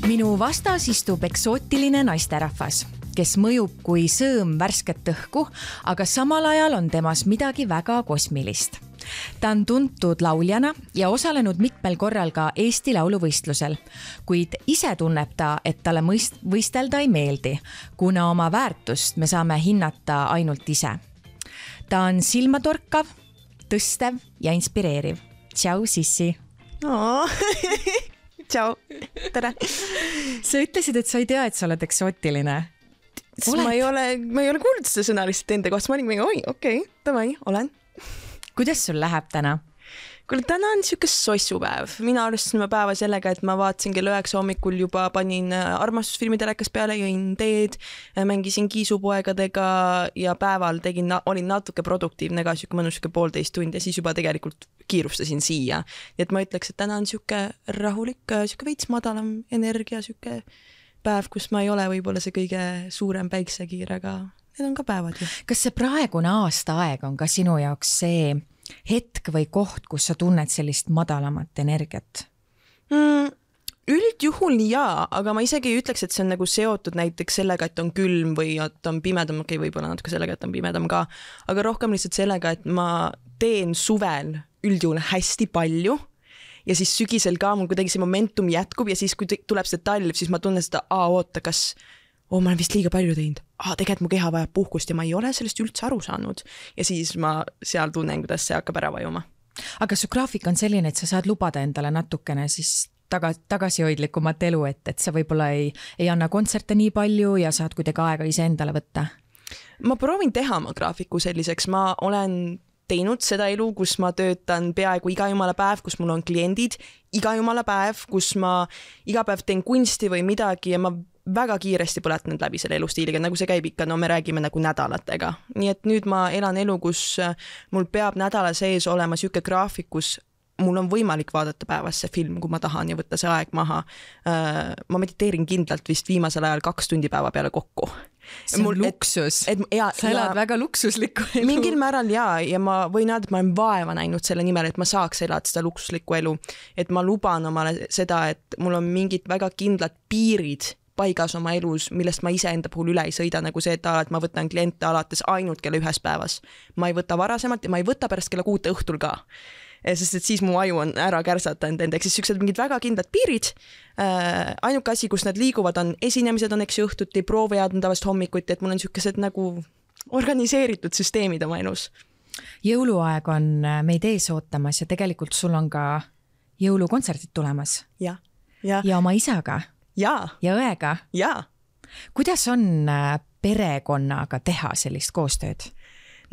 Minu vastas istub eksootiline naisterahvas, kes mõjub kui sõõm värsket õhku, aga samal ajal on temas midagi väga kosmilist. Ta on tuntud lauljana ja osalenud mitmel korral ka Eesti lauluvõistlusel, kuid ise tunneb ta, et talle võistelda ei meeldi, kuna oma väärtust me saame hinnata ainult ise. Ta on silmatorkav, tõstev ja inspireeriv. Tšau, Sissi! Tšau, tere! Sa ütlesid, et sa ei tea, et sa oled eksootiline. Ma ei ole kuulnud seda sõna lihtsalt enda kohta. Ma olin mingi, okei, davai, olen. Kuidas sul läheb täna? Kuule, täna on siuke sossupäev. Mina alustasin päeva sellega, et ma vaatasin kell 9 hommikul juba panin armastusfilmi telekas peale, jõin teed, mängisin kiisupoegadega ja päeval olin natuke produktiivne ka, siuke mõnus 1,5 tundi ja siis juba tegelikult kiirustasin siia. Nii et ma ütleks, et täna on siuke rahulik, siuke veits madalam energia, siuke päev, kus ma ei ole võib-olla see kõige suurem päiksekiir, aga need on ka päevad ju. Kas see praegune aastaaeg on ka sinu jaoks see hetk või koht, kus sa tunned sellist madalamat energiat? Üldjuhul jaa, aga ma isegi ei ütleks, et see on nagu seotud näiteks sellega, et on külm või et on pimedam, võib-olla natuke sellega, et on pimedam ka, aga rohkem lihtsalt sellega, et ma teen suvel üldjuhul hästi palju ja siis sügisel ka mul kuidagi see momentum jätkub ja siis, kui tuleb see talv, siis ma tunnen seda, oota, kas ma olen vist liiga palju teinud. Tegelikult mu keha vajab puhkust ja ma ei ole sellest üldse aru saanud. Ja siis ma seal tunnen, kuidas see hakkab ära vajuma. Aga su graafik on selline, et sa saad lubada endale natukene siis tagasihoidlikumat elu, et sa võib-olla ei anna kontserte nii palju ja saad kuidagi aega ise endale võtta? Ma proovin teha oma graafiku selliseks. Ma olen teinud seda elu, kus ma töötan peaaegu iga jumala päev, kus mul on kliendid, iga jumala päev, kus ma iga päev teen kunsti või midagi ja ma väga kiiresti põletanud läbi selle elustiiliga, nagu see käib ikka, me räägime nagu nädalatega. Nii et nüüd ma elan elu, kus mul peab nädala sees olema siuke graafik, kus mul on võimalik vaadata päevas see film, kui ma tahan ja võtta see aeg maha. Ma mediteerin kindlalt vist viimasel ajal 2 tundi päeva peale kokku. See on luksus. Sa elad väga luksuslikku elu. Mingil määral ja ma võin öelda, et ma olen vaeva näinud selle nimel, et ma saaks elada seda luksuslikku elu. Et ma luban omale seda, et mul on mingid väga kindlad piirid paigas oma elus, millest ma ise enda puhul üle ei sõida, nagu see, et ma võtan kliente alates ainult kella 1 päevas. Ma ei võta varasemalt ja ma ei võta pärast kella 6 õhtul ka. Sest et siis mu aju on ära kärsatanud endaks. Siis süksed mingid väga kindlad piirid. Ainuke asi, kus nad liiguvad, on esinemised on õhtuti, prooviajad on tavaliselt hommikuti, et mul on sükkesed nagu organiseeritud süsteemid oma elus. Jõuluaeg on meid ees ootamas ja tegelikult sul on ka jõulukontserdid tulemas. Ja oma isaga. Ja õega. Ja. Kuidas on perekonnaga teha sellist koostööd?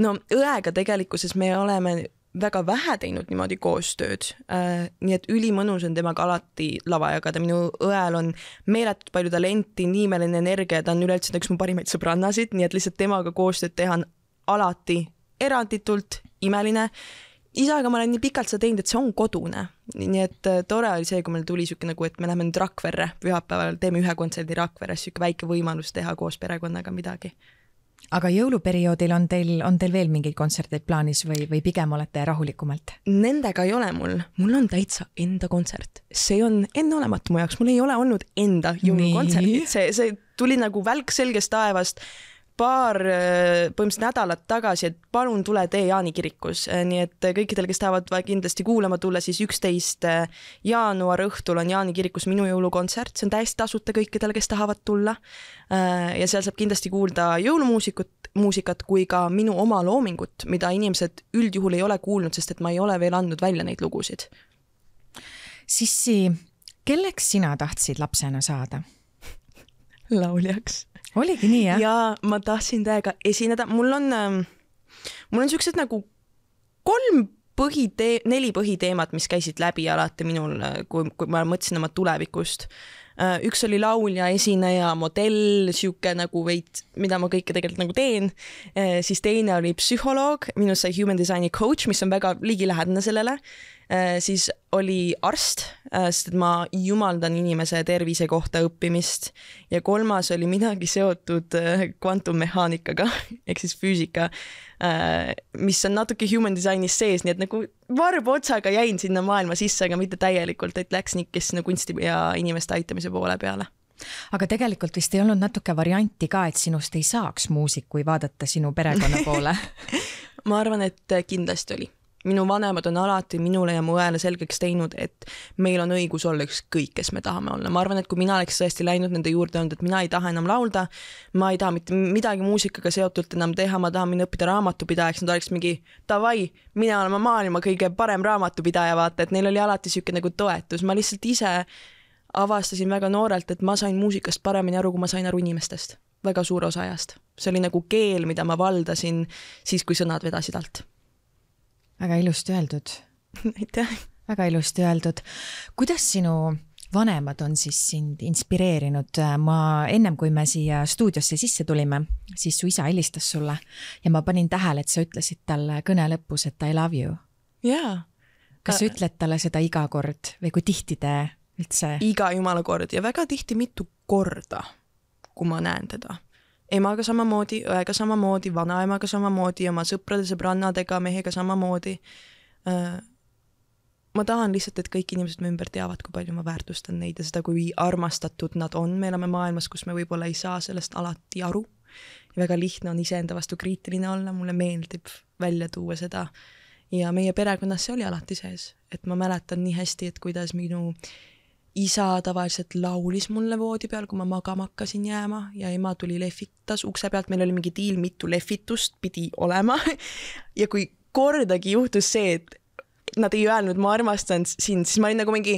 No õega tegelikkuses me oleme väga vähe teinud niimoodi koostööd. Nii et ülimõnus on temaga alati lava jagada. Minu õel on meeletult palju talenti, niimeline energia, ta on üleüldse üks mu parimaid sõbrannasid, nii et lihtsalt temaga koostööd teha on alati eranditult imeline. Isaga ma olen nii pikalt seda teinud, et see on kodune. Nii et tore oli see, kui meil tuli siuke nagu, et me läheme nüüd Rakverre pühapäeval, teeme 1 kontserdi Rakveres, siuke väike võimalus teha koos perekonnaga midagi. Aga jõuluperioodil on teil veel mingeid kontserdid plaanis või pigem olete rahulikumalt? Nendega ei ole mul on täitsa enda kontsert. See on enneolematu mu jaoks, mul ei ole olnud enda jõulukontserdid. See tuli nagu välk selgest taevast paar põhimõtteliselt nädalat tagasi, et palun tule tee Jaani kirikus. Nii et kõikidel, kes tahavad kindlasti kuulama tulla, siis 11. jaanuar õhtul on Jaani kirikus minu jõulukontsert. See on täiesti tasuta kõikidel, kes tahavad tulla. Ja seal saab kindlasti kuulda jõulumuusikat kui ka minu oma loomingut, mida inimesed üldjuhul ei ole kuulnud, sest et ma ei ole veel andnud välja neid lugusid. Sissi, kelleks sina tahtsid lapsena saada? Lauljaks. Oligi nii, jah? Ja ma tahtsin täiega esineda. Mul on siuksed nagu 4 põhiteemad, mis käisid läbi alati minul, kui ma mõtlesin oma tulevikust. Üks oli laulja, esineja, modell, siuke nagu veid, mida ma kõike tegelikult nagu teen. Siis teine oli psühholoog, minust sai human designi coach, mis on väga ligilähedane sellele. Siis oli arst, sest ma jumaldan inimese tervise kohta õppimist. Ja 3. oli midagi seotud kvantummehaanikaga, ehk siis füüsika, mis on natuke human designis sees, nii et nagu varbotsaga jäin sinna maailma sisse, aga mitte täielikult, et läks nikkis sinna kunsti ja inimeste aitamise poole peale. Aga tegelikult vist ei olnud natuke varianti ka, et sinust ei saaks muusik, kui vaadata sinu perekonna poole. Ma arvan, et kindlasti oli. Minu vanemad on alati minule ja mu õele selgeks teinud, et meil on õigus olla ükskõik, kes me tahame olla. Ma arvan, et kui mina oleks tõesti läinud nende juurde olnud, et mina ei taha enam laulda, ma ei taha mitte midagi muusikaga seotult enam teha, ma tahan minna õppida raamatupidajaks, nad oleks mingi davai, mina olema maailma kõige parem raamatupidaja, vaata, et neil oli alati siuke nagu toetus. Ma lihtsalt ise avastasin väga noorelt, et ma sain muusikast paremini aru, kui ma sain aru inimestest. Väga suur osa ajast. See oli nagu keel, mida ma valdasin siis, kui sõnad vedasid alt. Väga ilusti öeldud. Aitäh. Väga ilusti öeldud. Kuidas sinu vanemad on siis sind inspireerinud? Ma ennem, kui me siia stuudiosse sisse tulime, siis su isa helistas sulle ja ma panin tähele, et sa ütlesid talle kõne lõpus, et I love you. Jaa. Kas sa ütled talle seda iga kord või kui tihti te üldse? Iga jumala kord ja väga tihti mitu korda, kui ma näen teda. Emaga samamoodi, õega samamoodi, vanaemaga samamoodi, oma sõprade, sõbrannadega, mehega samamoodi. Ma tahan lihtsalt, et kõik inimesed me ümber teavad, kui palju ma väärtustan neid ja seda, kui armastatud nad on. Me oleme maailmas, kus me võib-olla ei saa sellest alati aru. Ja väga lihtne on iseenda vastu kriitiline olla, mulle meeldib välja tuua seda. Ja meie perekonnas see oli alati sees. Et ma mäletan nii hästi, et kuidas minu isa tavaliselt laulis mulle voodi peal, kui ma magama hakkasin jääma ja ema tuli lehvitas ukse pealt. Meil oli mingi diil, mitu lehvitust pidi olema. Ja kui kordagi juhtus see, et nad ei öelnud, ma armastan sind, siis ma olin nagu mingi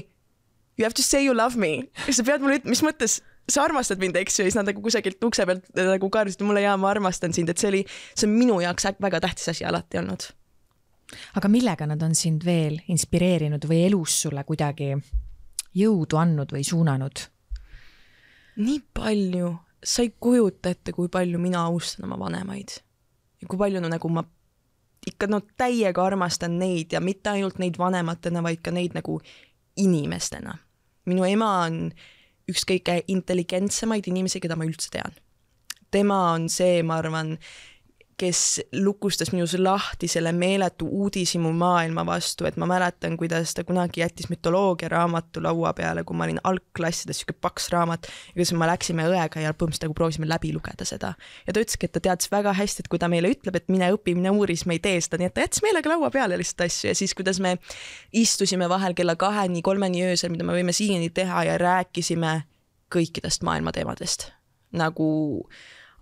you have to say you love me. Sa pead mulle ütlema, mis mõttes sa armastad mind, eks ju, ja siis nad nagu kusagilt ukse pealt nagu kaardisid mulle ja ma armastan sind, et see on minu jaoks väga tähtis asi alati olnud. Aga millega nad on sind veel inspireerinud või elus sulle kuidagi jõudu andnud või suunanud? Nii palju. Sa ei kujuta ette, kui palju mina austan oma vanemaid. Ja kui palju nagu ma ikka täiega armastan neid ja mitte ainult neid vanematena, vaid ka neid nagu inimestena. Minu ema on üks kõige intelligentsemaid inimesi, keda ma üldse tean. Tema on see, ma arvan, kes lukustas minus lahti selle meeletu uudishimu maailma vastu, et ma mäletan, kuidas ta kunagi jättis mütoloogia raamatu laua peale, kui ma olin algklassides siuke paks raamat ja kuidas me läksime õega ja põhimõtteliselt nagu proovisime läbi lugeda seda. Ja ta ütleski, et ta teadis väga hästi, et kui ta meile ütleb, et mine õpi, mine uuris, me ei tee seda, nii et ta jättis meelega laua peale lihtsalt asju ja siis, kuidas me istusime vahel kella 2-3 öösel, mida me võime siiani teha ja rääkisime kõikidest maailma teemadest. Nagu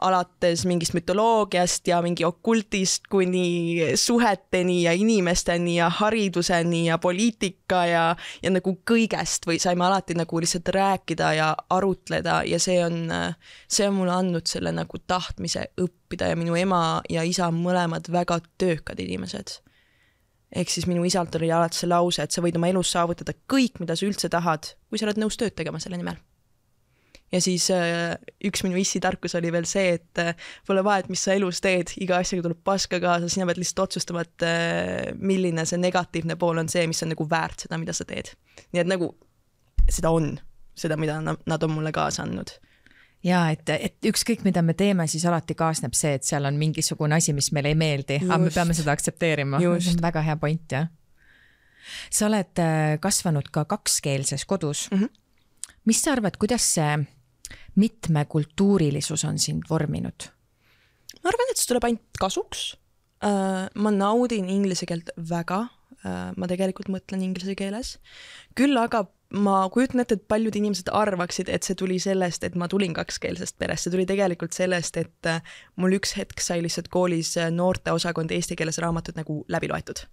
alates mingist mütoloogiast ja mingi okultist kuni suheteni ja inimesteni ja hariduseni ja poliitika ja nagu kõigest või saime alati nagu lihtsalt rääkida ja arutleda ja see on mulle andnud selle nagu tahtmise õppida ja minu ema ja isa on mõlemad väga töökad inimesed. Ehk siis minu isalt oli alati see lause, et sa võid oma elus saavutada kõik, mida sa üldse tahad, kui sa oled nõus tööd tegema selle nimel. Ja siis üks minu issi tarkus oli veel see, et pole vahet, mis sa elus teed, iga asjaga tuleb paska kaasa, sina pead lihtsalt otsustama, et milline see negatiivne pool on see, mis on nagu väärt seda, mida sa teed. Nii et nagu seda on, seda, mida nad on mulle kaasa andnud. Ja, et ükskõik, mida me teeme, siis alati kaasneb see, et seal on mingisugune asi, mis meile ei meeldi, aga me peame seda aktsepteerima. See on väga hea point, jah. Sa oled kasvanud ka kakskeelses kodus. Mis sa arvad, kuidas see mitmekultuurilisus on sind vorminud? Ma arvan, et see tuleb ainult kasuks. Ma naudin inglise keelt väga. Ma tegelikult mõtlen inglise keeles. Küll aga ma kujutan ette, et paljud inimesed arvaksid, et see tuli sellest, et ma tulin kakskeelsest perest. See tuli tegelikult sellest, et mul üks hetk sai lihtsalt koolis noorte osakond eesti keeles raamatud nagu läbi loetud.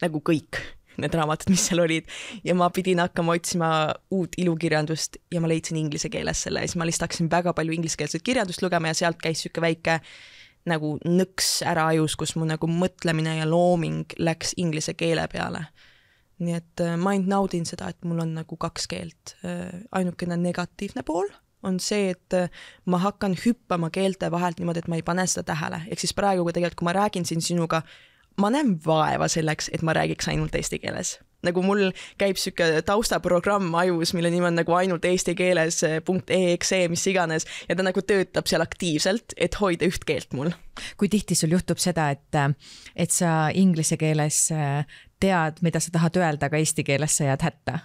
Nagu kõik need raamatud, mis seal olid ja ma pidin hakkama otsima uut ilukirjandust ja ma leidsin inglise keeles selle ja siis ma lihtsalt hakkasin väga palju ingliskeelset kirjandust lugema ja sealt käis siuke väike nagu nõks ära ajus, kus mu nagu mõtlemine ja looming läks inglise keele peale. Nii et ma ainult naudin seda, et mul on nagu kaks keelt. Ainukene negatiivne pool on see, et ma hakkan hüppama keelte vahelt niimoodi, et ma ei pane seda tähele. Ehk siis praegu, kui ma räägin siin sinuga, ma näen vaeva selleks, et ma räägiks ainult eesti keeles. Nagu mul käib siuke taustaprogramm ajus, mille nimi on nagu ainult eesti keeles .exe, mis iganes, ja ta nagu töötab seal aktiivselt, et hoida üht keelt mul. Kui tihti sul juhtub seda, et sa inglise keeles tead, mida sa tahad öelda, aga eesti keeles sa jääd hätta?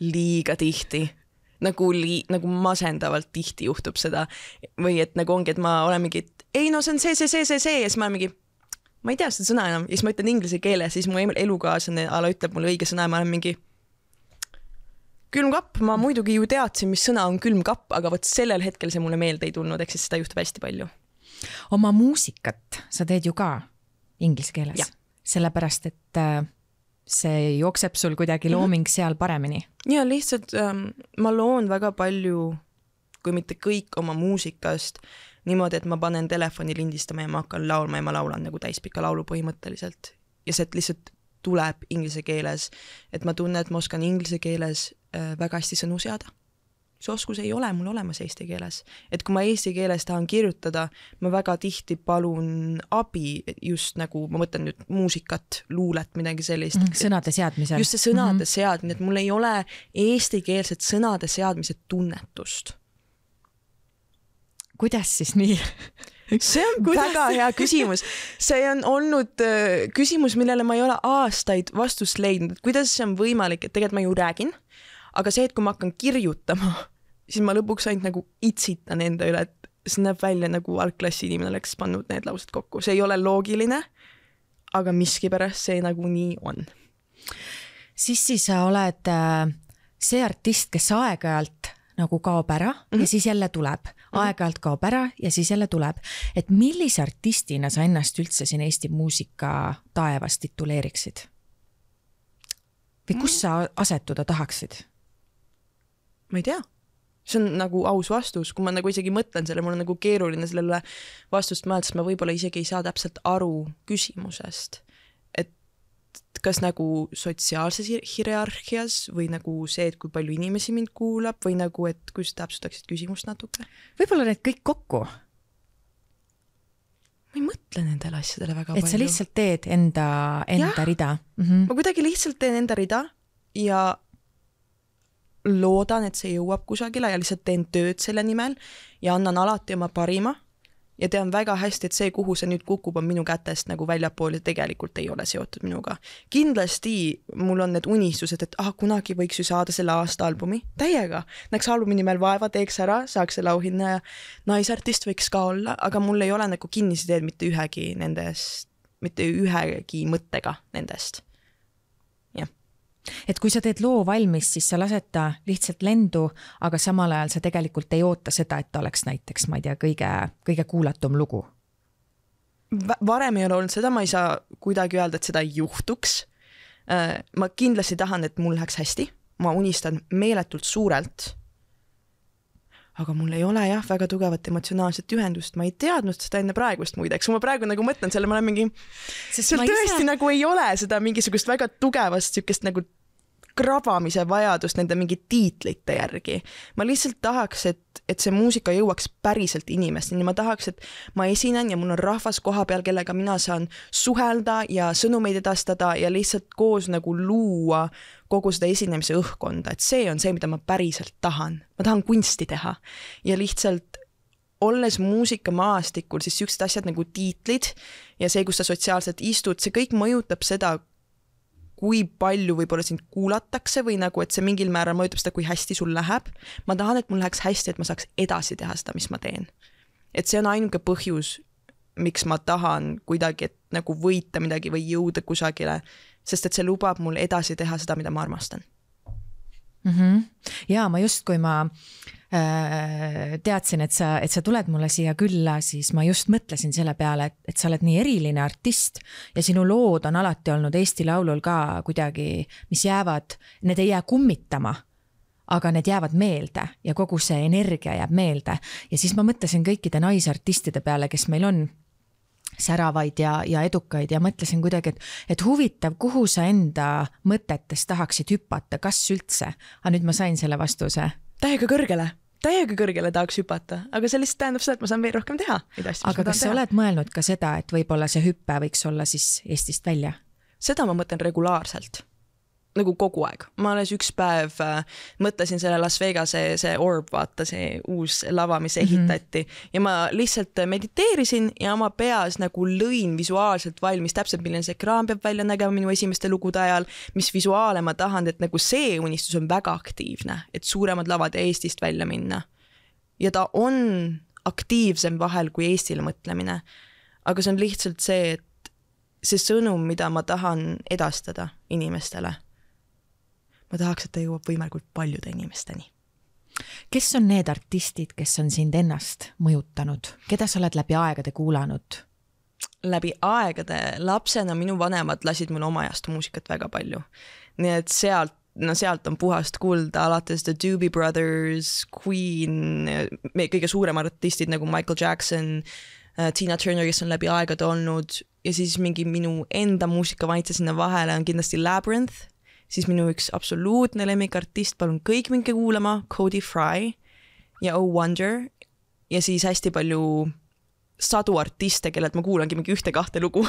Liiga tihti. Nagu masendavalt tihti juhtub seda. Või et nagu ongi, et ma olen mingi, ei no see on see, ja siis ma olen mingi, ma ei tea seda sõna enam. Ja siis ma ütlen inglise keeles, siis mu elukaaslane ala ütleb mulle õige sõna ja ma olen mingi külmkapp. Ma muidugi ju teadsin, mis sõna on külmkapp, aga võt sellel hetkel see mulle meelde ei tulnud, eks siis seda juhtub hästi palju. Oma muusikat sa teed ju ka inglise keeles, sellepärast, et see jookseb sul kuidagi looming seal paremini. Ja lihtsalt ma loon väga palju, kui mitte kõik oma muusikast niimoodi, et ma panen telefoni lindistama ja ma hakkan laulma ja ma laulan nagu täispika laulu põhimõtteliselt. Ja see lihtsalt tuleb inglise keeles, et ma tunnen, et ma oskan inglise keeles väga hästi sõnu seada. See oskus ei ole mul olemas eesti keeles. Et kui ma eesti keeles tahan kirjutada, ma väga tihti palun abi just nagu, ma mõtlen nüüd muusikat, luulet, midagi sellist. Sõnade seadmisel. Just see sõnade seadmine, et mul ei ole eestikeelset sõnade seadmise tunnetust. Kuidas siis nii? See on väga hea küsimus. See on olnud küsimus, millele ma ei ole aastaid vastust leidnud. Kuidas see on võimalik, et tegelikult ma ju räägin, aga see, et kui ma hakkan kirjutama, siis ma lõpuks ainult nagu itsitan enda üle, et see näeb välja nagu algklassi inimene oleks pannud need laused kokku. See ei ole loogiline, aga miskipärast see nagu nii on. Siis sa oled see artist, kes aeg-ajalt nagu kaob ära ja siis jälle tuleb. Aeg-ajalt kaob ära ja siis jälle tuleb. Et millise artistina sa ennast üldse siin Eesti muusika taevas tituleeriksid? Või kus sa asetuda tahaksid? Ma ei tea. See on nagu aus vastus. Kui ma nagu isegi mõtlen selle, mul on nagu keeruline sellele vastust mõelda, sest ma võib-olla isegi ei saa täpselt aru küsimusest. Et kas nagu sotsiaalses hierarhias või nagu see, et kui palju inimesi mind kuulab või nagu, et kui sa täpsustaksid küsimust natuke? Võib-olla need kõik kokku. Ma ei mõtle nendele asjadele väga palju. Et sa lihtsalt teed enda rida. Ma kuidagi lihtsalt teen enda rida ja loodan, et see jõuab kusagile ja lihtsalt teen tööd selle nimel ja annan alati oma parima ja tean väga hästi, et see, kuhu see nüüd kukub, on minu kätest nagu väljapool ja tegelikult ei ole seotud minuga. Kindlasti mul on need unistused, et kunagi võiks ju saada selle aasta albumi. Täiega. Näeks albumi nimel vaeva, teeks ära, saaks selle auhinna ja naisartist võiks ka olla, aga mul ei ole nagu kinnisideed mitte ühegi mõttega nendest. Et kui sa teed loo valmis, siis sa lased ta lihtsalt lendu, aga samal ajal sa tegelikult ei oota seda, et ta oleks näiteks, ma ei tea, kõige kuulatum lugu. Varem ei ole olnud seda, ma ei saa kuidagi öelda, et seda ei juhtuks. Ma kindlasti tahan, et mul läheks hästi. Ma unistan meeletult suurelt. Aga mul ei ole väga tugevat emotsionaalset ühendust. Ma ei teadnud seda enne praegust muideks. Ma praegu nagu mõtlen selle, ma olen mingi... Seal tõesti nagu ei ole seda mingisugust väga tugevast sükest nagu krabamise vajadust nende mingi tiitlite järgi. Ma lihtsalt tahaks, et see muusika jõuaks päriselt inimesteni. Ma tahaks, et ma esinen ja mul on rahvas koha peal, kellega mina saan suhelda ja sõnumeid edastada ja lihtsalt koos nagu luua kogu seda esinemise õhkonda. Et see on see, mida ma päriselt tahan. Ma tahan kunsti teha ja lihtsalt olles muusikamaastikul, siis süüksed asjad nagu tiitlid ja see, kus sa sotsiaalselt istud, see kõik mõjutab seda, kui palju võib-olla sind kuulatakse või nagu, et see mingil määral mõjutab seda, kui hästi sul läheb. Ma tahan, et mul läheks hästi, et ma saaks edasi teha seda, mis ma teen. Et see on ainuke põhjus, miks ma tahan kuidagi, et nagu võita midagi või jõuda kusagile, sest et see lubab mul edasi teha seda, mida ma armastan. Ja ma just, kui ma teadsin, et sa tuled mulle siia külla, siis ma just mõtlesin selle peale, et sa oled nii eriline artist ja sinu lood on alati olnud Eesti Laulul ka kuidagi, mis jäävad, need ei jää kummitama, aga need jäävad meelde ja kogu see energia jääb meelde. Ja siis ma mõtlesin kõikide naisartistide peale, kes meil on säravaid ja edukaid ja mõtlesin kuidagi, et huvitav, kuhu sa enda mõtetes tahaksid hüpata, kas üldse? Aga nüüd ma sain selle vastuse. Täiega kõrgele tahaks hüpata, aga see lihtsalt tähendab seda, et ma saan veel rohkem teha. Aga kas sa oled mõelnud ka seda, et võib-olla see hüppe võiks olla siis Eestist välja? Seda ma mõtlen regulaarselt. nagu kogu aeg. Ma alles üks päev mõtlesin selle Las Vegase see Orb, vaata see uus lava, mis ehitati ja ma lihtsalt mediteerisin ja oma peas nagu lõin visuaalselt valmis täpselt, milline see ekraan peab välja nägema minu esimeste lugude ajal, mis visuaale ma tahan, et nagu see unistus on väga aktiivne, et suuremad lavad Eestist välja minna. Ja ta on aktiivsem vahel kui Eestile mõtlemine, aga see on lihtsalt see, et see sõnum, mida ma tahan edastada inimestele, ma tahaks, et ta jõuab võimalikult paljude inimesteni. Kes on need artistid, kes on sind ennast mõjutanud? Keda sa oled läbi aegade kuulanud? Läbi aegade lapsena minu vanemad lasid mul oma ajast muusikat väga palju. Nii et sealt on puhast kulda, alates The Doobie Brothers, Queen, kõige suuremad artistid nagu Michael Jackson, Tina Turner, kes on läbi aegade olnud ja siis mingi minu enda muusikavaitse sinna vahele on kindlasti Labyrinth, siis minu üks absoluutne lemmikartist, palun kõik minge kuulama, Cody Fry ja Oh Wonder ja siis hästi palju sadu artiste, kellelt ma kuulangi mingi 1-2 lugu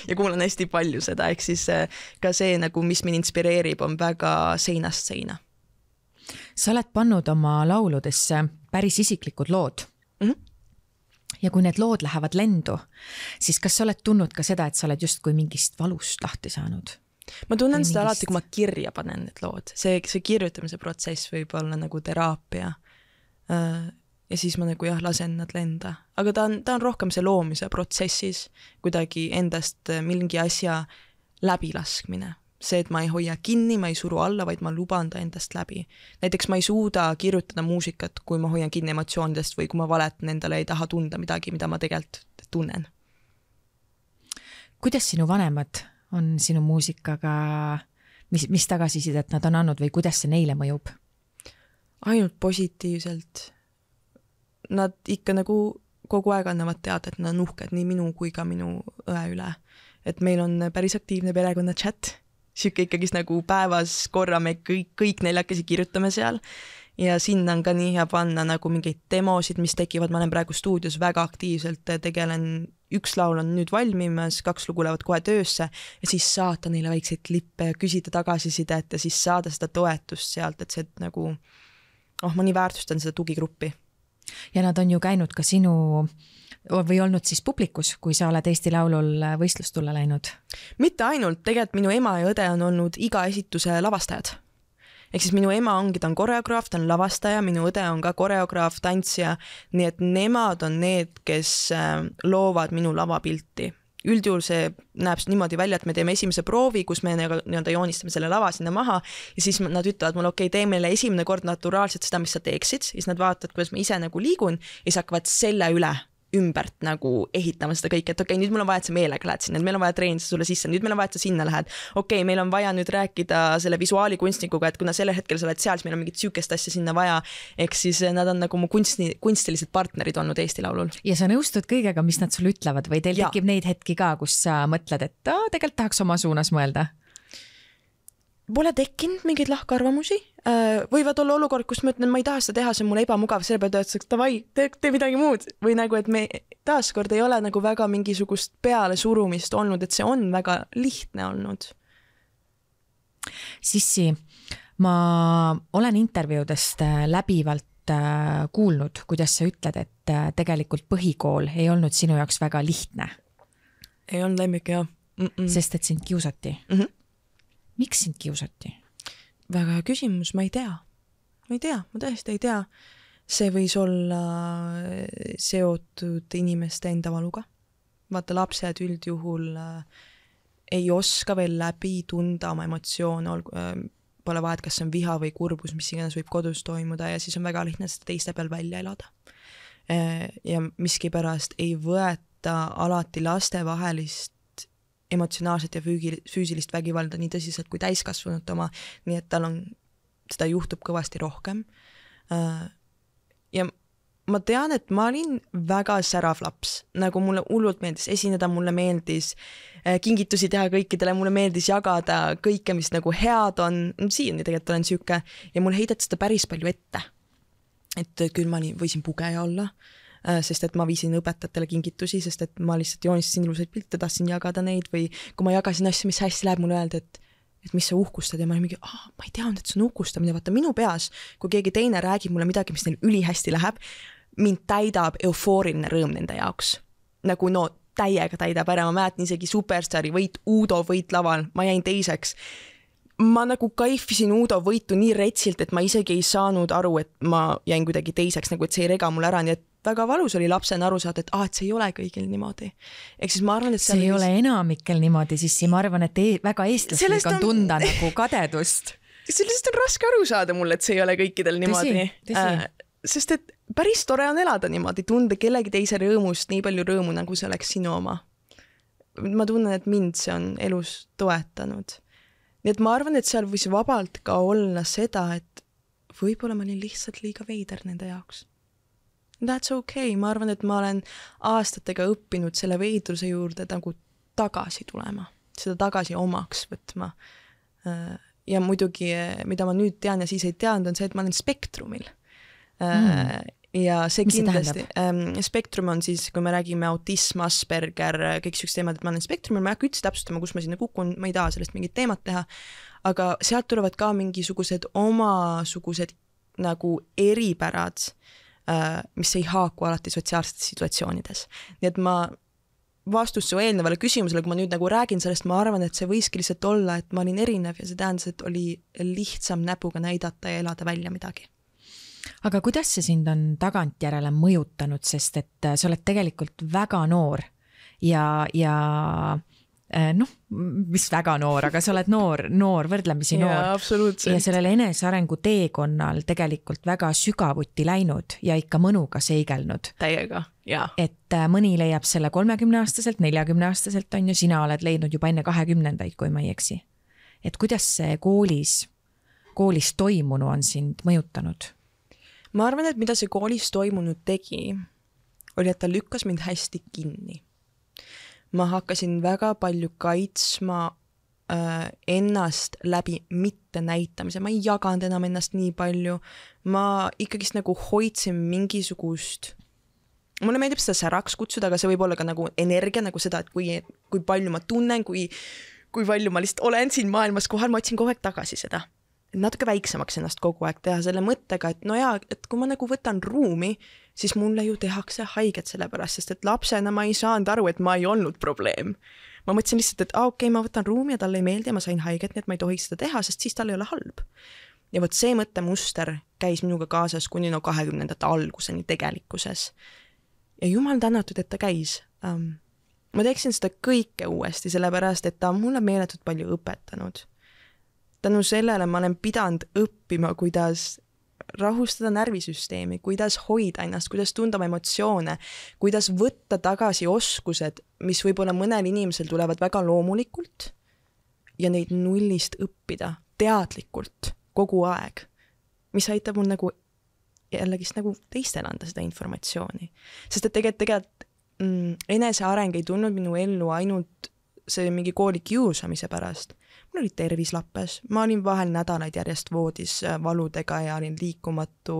ja kuulan hästi palju seda, ehk siis ka see, nagu, mis mind inspireerib, on väga seinast seina. Sa oled pannud oma lauludesse päris isiklikud lood. Ja kui need lood lähevad lendu, siis kas sa oled tundnud ka seda, et sa oled just kui mingist valust lahti saanud? Ma tunnen seda alati, kui ma kirja panen need lood. See kirjutamise protsess võib olla nagu teraapia. Ja siis ma nagu lasen nad lenda. Aga ta on rohkem see loomise protsessis kuidagi endast mingi asja läbilaskmine. See, et ma ei hoia kinni, ma ei suru alla, vaid ma luban ta endast läbi. Näiteks ma ei suuda kirjutada muusikat, kui ma hoian kinni emotsioonidest või kui ma valetan endale, ei taha tunda midagi, mida ma tegelikult tunnen. Kuidas sinu vanemad on sinu muusikaga, mis tagasisidet nad on andnud või kuidas see neile mõjub? Ainult positiivselt. Nad ikka nagu kogu aeg annavad teada, et nad on uhked nii minu kui ka minu õe üle. Et meil on päris aktiivne perekonna chat. Siuke ikkagis nagu päevas korra me kõik neljakesi kirjutame seal. Ja sinna on ka nii hea panna nagu mingeid demosid, mis tekivad. Ma olen praegu stuudios väga aktiivselt tegelen. Üks laul on nüüd valmimas, 2 lugu lähevad kohe töösse ja siis saata neile väikseid klippe ja küsida tagasisidet ja siis saada seda toetust sealt, et see nagu, ma nii väärtustan seda tugigruppi. Ja nad on ju käinud ka sinu või olnud siis publikus, kui sa oled Eesti Laulul võistlustulle läinud? Mitte ainult, tegelikult minu ema ja õde on olnud iga esituse lavastajad. Ehk siis minu ema ongi, ta on koreograaf, ta on lavastaja, minu õde on ka koreograaf, tantsija, nii et nemad on need, kes loovad minu lavapilti. Üldjuhul see näeb niimoodi välja, et me teeme esimese proovi, kus me joonistame selle lava sinna maha ja siis nad ütlevad mulle, okei, tee meile esimene kord naturaalselt seda, mis sa teeksid, siis nad vaatavad, kuidas ma ise nagu liigun ja siis hakkavad selle üle ümbert nagu ehitama seda kõike, et okei, nüüd meil on vaja, et sa meelega lähed sinna, meil on vaja treenida sulle sisse, nüüd meil on vaja, et sa sinna lähed. Okei, meil on vaja nüüd rääkida selle visuaalikunstnikuga, et kuna selle hetkel sa oled seal, siis meil on mingit süükest asja sinna vaja, eks siis nad on nagu mu kunstilised partnerid olnud Eesti Laulul. Ja sa nõustud kõigega, mis nad sulle ütlevad või teil tekib neid hetki ka, kus sa mõtled, et tegelikult tahaks oma suunas mõelda? Pole tekkinud mingeid lahkarvamusi. Võivad olla olukord, kus ma ütlen, ma ei taha seda teha, see on mulle ebamugav, selle peale töötaks, davai, tee midagi muud. Või nagu, et me taaskord ei ole nagu väga mingisugust peale surumist olnud, et see on väga lihtne olnud. Sissi, ma olen intervjuudest läbivalt kuulnud, kuidas sa ütled, et tegelikult põhikool ei olnud sinu jaoks väga lihtne. Ei olnud lemmik, jah. Sest et sind kiusati. Miks sind kiusati? Väga hea küsimus, ma ei tea. Ma tõesti ei tea. See võis olla seotud inimeste enda valuga. Vaata, lapsed üldjuhul ei oska veel läbi tunda oma emotsioone, pole vahet, kas on viha või kurbus, mis iganes võib kodus toimuda ja siis on väga lihtne seda teiste peal välja elada. Ja miskipärast ei võeta alati lastevahelist emotsionaalset ja füüsilist vägivalda nii tõsiselt kui täiskasvanud oma, nii et tal on, seda juhtub kõvasti rohkem. Ja ma tean, et ma olin väga särav laps, nagu mulle hullult meeldis esineda, mulle meeldis kingitusi teha kõikidele, mulle meeldis jagada kõike, mis nagu head on, siiani tegelikult olen süüke ja mulle heideti seda päris palju ette. Et küll ma võisin pugeja olla, sest et ma viisin õpetajatele kingitusi, sest et ma lihtsalt joonistasin ilusaid pilte, tahtsin jagada neid või kui ma jagasin asju, mis hästi läheb, mulle öelda, et et mis sa uhkustad ja ma olin mingi, ma ei teadnud, et see on uhkustamine, vaata minu peas, kui keegi teine räägib mulle midagi, mis neil ülihästi läheb, mind täidab eufooriline rõõm nende jaoks. Nagu no täiega täidab ära, ma mäletan isegi Superstaari võit, Uudo võit laval, ma jäin teiseks. Ma nagu kaifisin Uudo võitu nii retsilt, et ma isegi ei saanud aru, et ma jäin kuidagi teiseks, nagu et see ei rega mulle ära, nii et väga valus oli lapsena aru saada, et et see ei ole kõigil niimoodi. Ehk siis ma arvan, et see ei ole enamikel niimoodi, siis ma arvan, et väga eestlaslik on tunda nagu kadedust. Sellest on raske aru saada mulle, et see ei ole kõikidel niimoodi. Sest et päris tore on elada niimoodi, tunda kellegi teise rõõmust nii palju rõõmu, nagu see oleks sinu oma. Ma tunnen, et mind see on elus toetanud. Nii et ma arvan, et seal võis vabalt ka olla seda, et võib-olla ma olin lihtsalt liiga veider nende jaoks. That's okay, ma arvan, et ma olen aastatega õppinud selle veidruse juurde nagu tagasi tulema, seda tagasi omaks võtma. Ja muidugi, mida ma nüüd tean ja siis ei teadnud, on see, et ma olen spektrumil. Ja see kindlasti, spektrum on siis, kui me räägime autism, Asperger, kõik sükst teemad, et ma olen spektrumil, ma ei hakka üldse täpsustama, kus ma sinna kukun, ma ei taha sellest mingit teemat teha, aga sealt tulevad ka mingisugused omasugused nagu eripärad, mis ei haaku alati sotsiaalsetes situatsioonides. Nii et ma vastus su eelnevale küsimusele, kui ma nüüd nagu räägin sellest, ma arvan, et see võiski lihtsalt olla, et ma olin erinev ja see tähendas, et oli lihtsam näpuga näidata ja elada välja midagi. Aga kuidas see sind on tagantjärele mõjutanud, sest et sa oled tegelikult väga noor ja mis väga noor, aga sa oled noor, võrdlemisi noor. Ja, absoluutselt. Ja sellele enesearengu teekonnal tegelikult väga sügavuti läinud ja ikka mõnuga seigelnud. Täiega, jaa. Et mõni leiab selle 30-aastaselt, 40-aastaselt on ju, sina oled leidnud juba enne 20-ndaid, kui ma ei eksi. Et kuidas see koolis toimunu on sind mõjutanud? Ma arvan, et mida see koolis toimunud tegi, oli, et ta lükkas mind hästi kinni. Ma hakkasin väga palju kaitsma ennast läbi mitte näitamise. Ma ei jaganud enam ennast nii palju. Ma ikkagist nagu hoidsin mingisugust... Mulle meeldib seda säraks kutsuda, aga see võib olla ka nagu energia, nagu seda, et kui palju ma tunnen, kui palju ma lihtsalt olen siin maailmas kohal, ma otsin kogu aeg tagasi seda. Natuke väiksemaks ennast kogu aeg teha selle mõttega, et no jaa, et kui ma nagu võtan ruumi, siis mulle ju tehakse haiget selle pärast, sest et lapsena ma ei saanud aru, et ma ei olnud probleem. Ma mõtlesin lihtsalt, et okei, ma võtan ruumi ja talle ei meeldi ja ma sain haiget, nii et ma ei tohiks seda teha, sest siis tal ei ole halb. Ja võt see mõttemuster käis minuga kaasas kuni 20. alguseni tegelikkuses. Ja jumal tänatud, et ta käis. Ma teeksin seda kõike uuesti, sellepärast, et ta on mulle meeletult palju õpetanud. Tänu sellele ma olen pidanud õppima, kuidas rahustada närvisüsteemi, kuidas hoida ennast, kuidas tunda oma emotsioone, kuidas võtta tagasi oskused, mis võib-olla mõnel inimesel tulevad väga loomulikult ja neid nullist õppida teadlikult kogu aeg, mis aitab mul nagu jällegi nagu teistel anda seda informatsiooni. Sest et tegelikult eneseareng ei tulnud minu ellu ainult see mingi kooli kiusamise pärast. Mul oli tervis lappes, ma olin vahel nädalaid järjest voodis valudega ja olin liikumatu.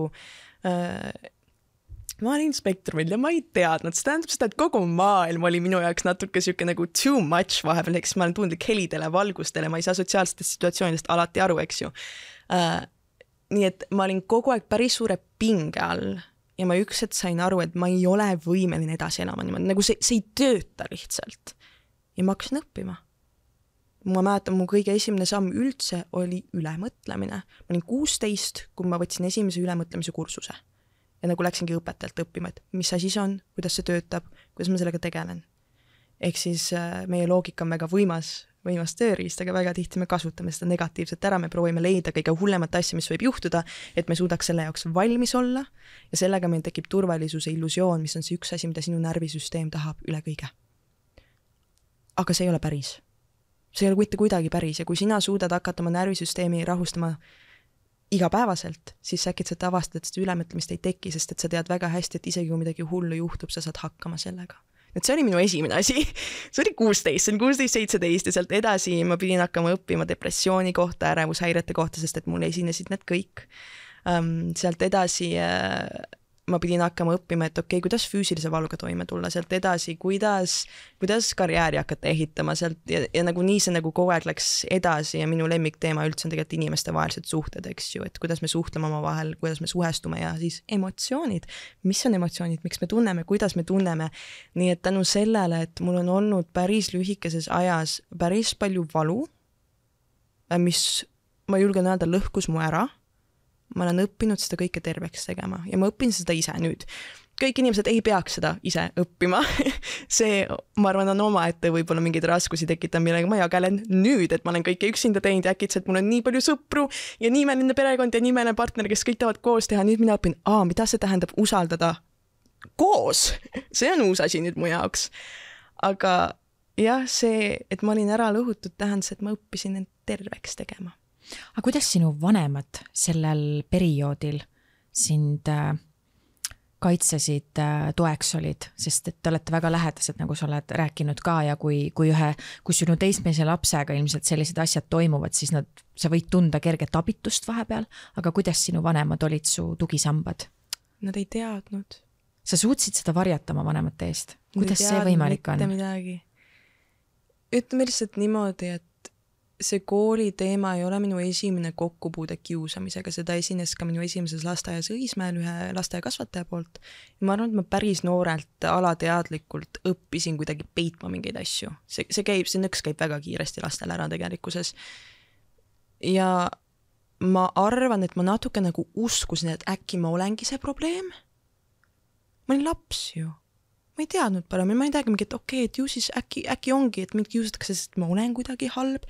Ma olin spektrumil ja ma ei teadnud. See tähendab seda, et kogu maailm oli minu jaoks natuke siuke nagu too much vahepeal, eks ma olen tundlik helidele, valgustele, ma ei saa sotsiaalsetest situatsioonidest alati aru, eks ju. Nii et ma olin kogu aeg päris suure pinge all ja ma ükset sain aru, et ma ei ole võimeline edasi elama niimoodi, nagu see ei tööta lihtsalt. Ja ma hakkasin õppima. Ma mäletan, mu kõige esimene samm üldse oli ülemõtlemine. Ma olin 16, kui ma võtsin esimese ülemõtlemise kursuse. Ja nagu läksingi õpetajalt õppima, et mis asi see on, kuidas see töötab, kuidas ma sellega tegelen. Ehk siis meie loogika on väga võimas tööriist, aga väga tihti me kasutame seda negatiivset ära, me proovime leida kõige hullemat asja, mis võib juhtuda, et me suudaks selle jaoks valmis olla ja sellega meil tekib turvalisuse illusioon, mis on see üks asi, mida sinu närvisüsteem tahab üle kõige. Aga see ei ole päris. See ei ole mitte kuidagi päris ja kui sina suudad hakata oma närvisüsteemi rahustama igapäevaselt, siis äkitselt avastad, et seda ülemõtlemist ei teki, sest et sa tead väga hästi, et isegi kui midagi hullu juhtub, sa saad hakkama sellega. Et see oli minu esimene asi. See oli 16-17 ja sealt edasi ma pidin hakkama õppima depressiooni kohta, ärevushäirete kohta, sest et mul esinesid need kõik. Sealt edasi ma pidin hakkama õppima, et okei, kuidas füüsilise valuga toime tulla, sealt edasi, kuidas karjääri hakata ehitama sealt ja nagu nii see nagu kogu aeg läks edasi ja minu lemmikteema üldse on tegelikult inimestevahelised suhted, eks ju, et kuidas me suhtleme omavahel, kuidas me suhestume ja siis emotsioonid, mis on emotsioonid, miks me tunneme, kuidas me tunneme, nii et tänu sellele, et mul on olnud päris lühikeses ajas päris palju valu, mis ma julgen öelda lõhkus mu ära, ma olen õppinud seda kõike terveks tegema ja ma õpin seda ise nüüd. Kõik inimesed ei peaks seda ise õppima. See, ma arvan, on omaette võib-olla mingeid raskusi tekitab, millega ma jagelen nüüd, et ma olen kõike üksinda teinud ja äkitselt mul on nii palju sõpru ja nimeline perekond ja nimeline partner, kes kõik tahavad koos teha. Nüüd mina õpin, mida see tähendab usaldada koos. See on uus asi nüüd mu jaoks. Aga jah, see, et ma olin ära lõhutud, tähendas, et ma õppisin end terveks tegema. Aga kuidas sinu vanemad sellel perioodil sind kaitsesid, toeks olid, sest et te olete väga lähedased, nagu sa oled rääkinud ka ja kui sinu teismelise lapsega ilmselt sellised asjad toimuvad, siis sa võid tunda kerget abitust vahepeal, aga kuidas sinu vanemad olid su tugisambad? Nad ei teadnud. Sa suutsid seda varjata oma vanemate eest? Kuidas see võimalik on? Ütleme lihtsalt niimoodi, et see kooli teema ei ole minu esimene kokkupuude kiusamisega, seda esines ka minu esimeses lasteaias Õismäel ühe lasteaiakasvataja poolt. Ja ma arvan, et ma päris noorelt alateadlikult õppisin kuidagi peitma mingeid asju. See nõks käib väga kiiresti lastel ära tegelikkuses. Ja ma arvan, et ma natuke nagu uskusin, et äkki ma olengi see probleem. Ma olin laps ju. Ma ei teadnud parem, ma ei teagi mingi, et okei, et ju siis äkki ongi, et mind kiusatakse, sest ma olen kuidagi halb.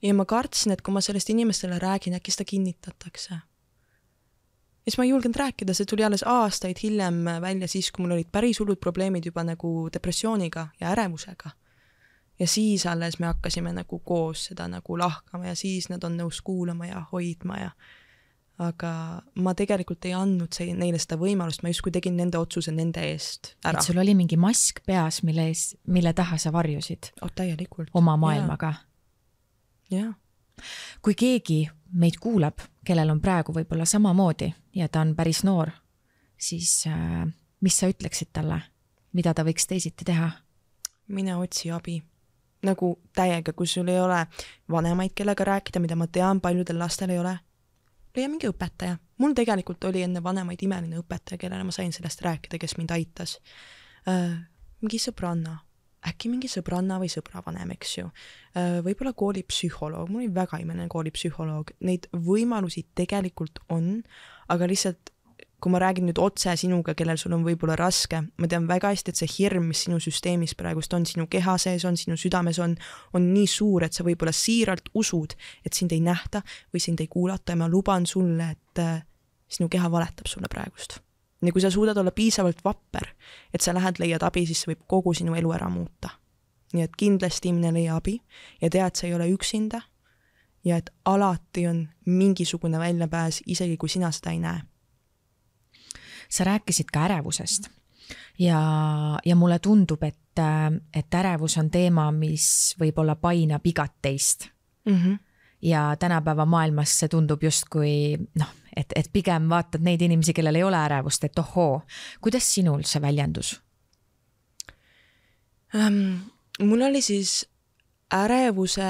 Ja ma kartsin, et kui ma sellest inimestele räägin, äkki seda kinnitatakse. Ja siis ma ei julgenud rääkida, see tuli alles aastaid hiljem välja siis, kui mul olid päris hullud probleemid juba nagu depressiooniga ja ärevusega. Ja siis alles me hakkasime nagu koos seda nagu lahkama ja siis nad on nõus kuulama ja hoidma ja aga ma tegelikult ei andnud neile seda võimalust, ma justkui tegin nende otsuse nende eest ära. Et sul oli mingi mask peas, mille taha sa varjusid? Täielikult. Oma maailmaga? Jah. Kui keegi meid kuulab, kellel on praegu võib-olla samamoodi ja ta on päris noor, siis mis sa ütleksid talle? Mida ta võiks teisiti teha? Mine otsi abi. Nagu täiega, kui sul ei ole vanemaid, kellega rääkida, mida ma tean, paljudel lastel ei ole. Leia mingi õpetaja. Mul tegelikult oli enne vanemaid imeline õpetaja, kellele ma sain sellest rääkida, kes mind aitas. Mingi sõbranna. Äkki mingi sõbranna või sõbravanem, eks ju. Võib-olla koolipsühholoog. Mul oli väga imeline koolipsühholoog. Neid võimalusi tegelikult on, aga lihtsalt kui ma räägin nüüd otse sinuga, kellel sul on võib-olla raske, ma tean väga hästi, et see hirm, mis sinu süsteemis praegust on, sinu keha sees on, sinu südames on nii suur, et sa võib-olla siiralt usud, et sind ei nähta või sind ei kuulata ja ma luban sulle, et sinu keha valetab sulle praegust. Ja kui sa suudad olla piisavalt vapper, et sa lähed leiad abi, siis see võib kogu sinu elu ära muuta. Nii et kindlasti inimene leia abi ja tea, et sa ei ole üksinda ja et alati on mingisugune väljapääs, isegi kui sina seda ei näe. Sa rääkisid ka ärevusest ja mulle tundub, et ärevus on teema, mis võib-olla painab igat teist. Ja tänapäeva maailmas see tundub justkui, et pigem vaatad neid inimesi, kellel ei ole ärevust, et ohoo, kuidas sinul see väljendus? Mul oli siis ärevuse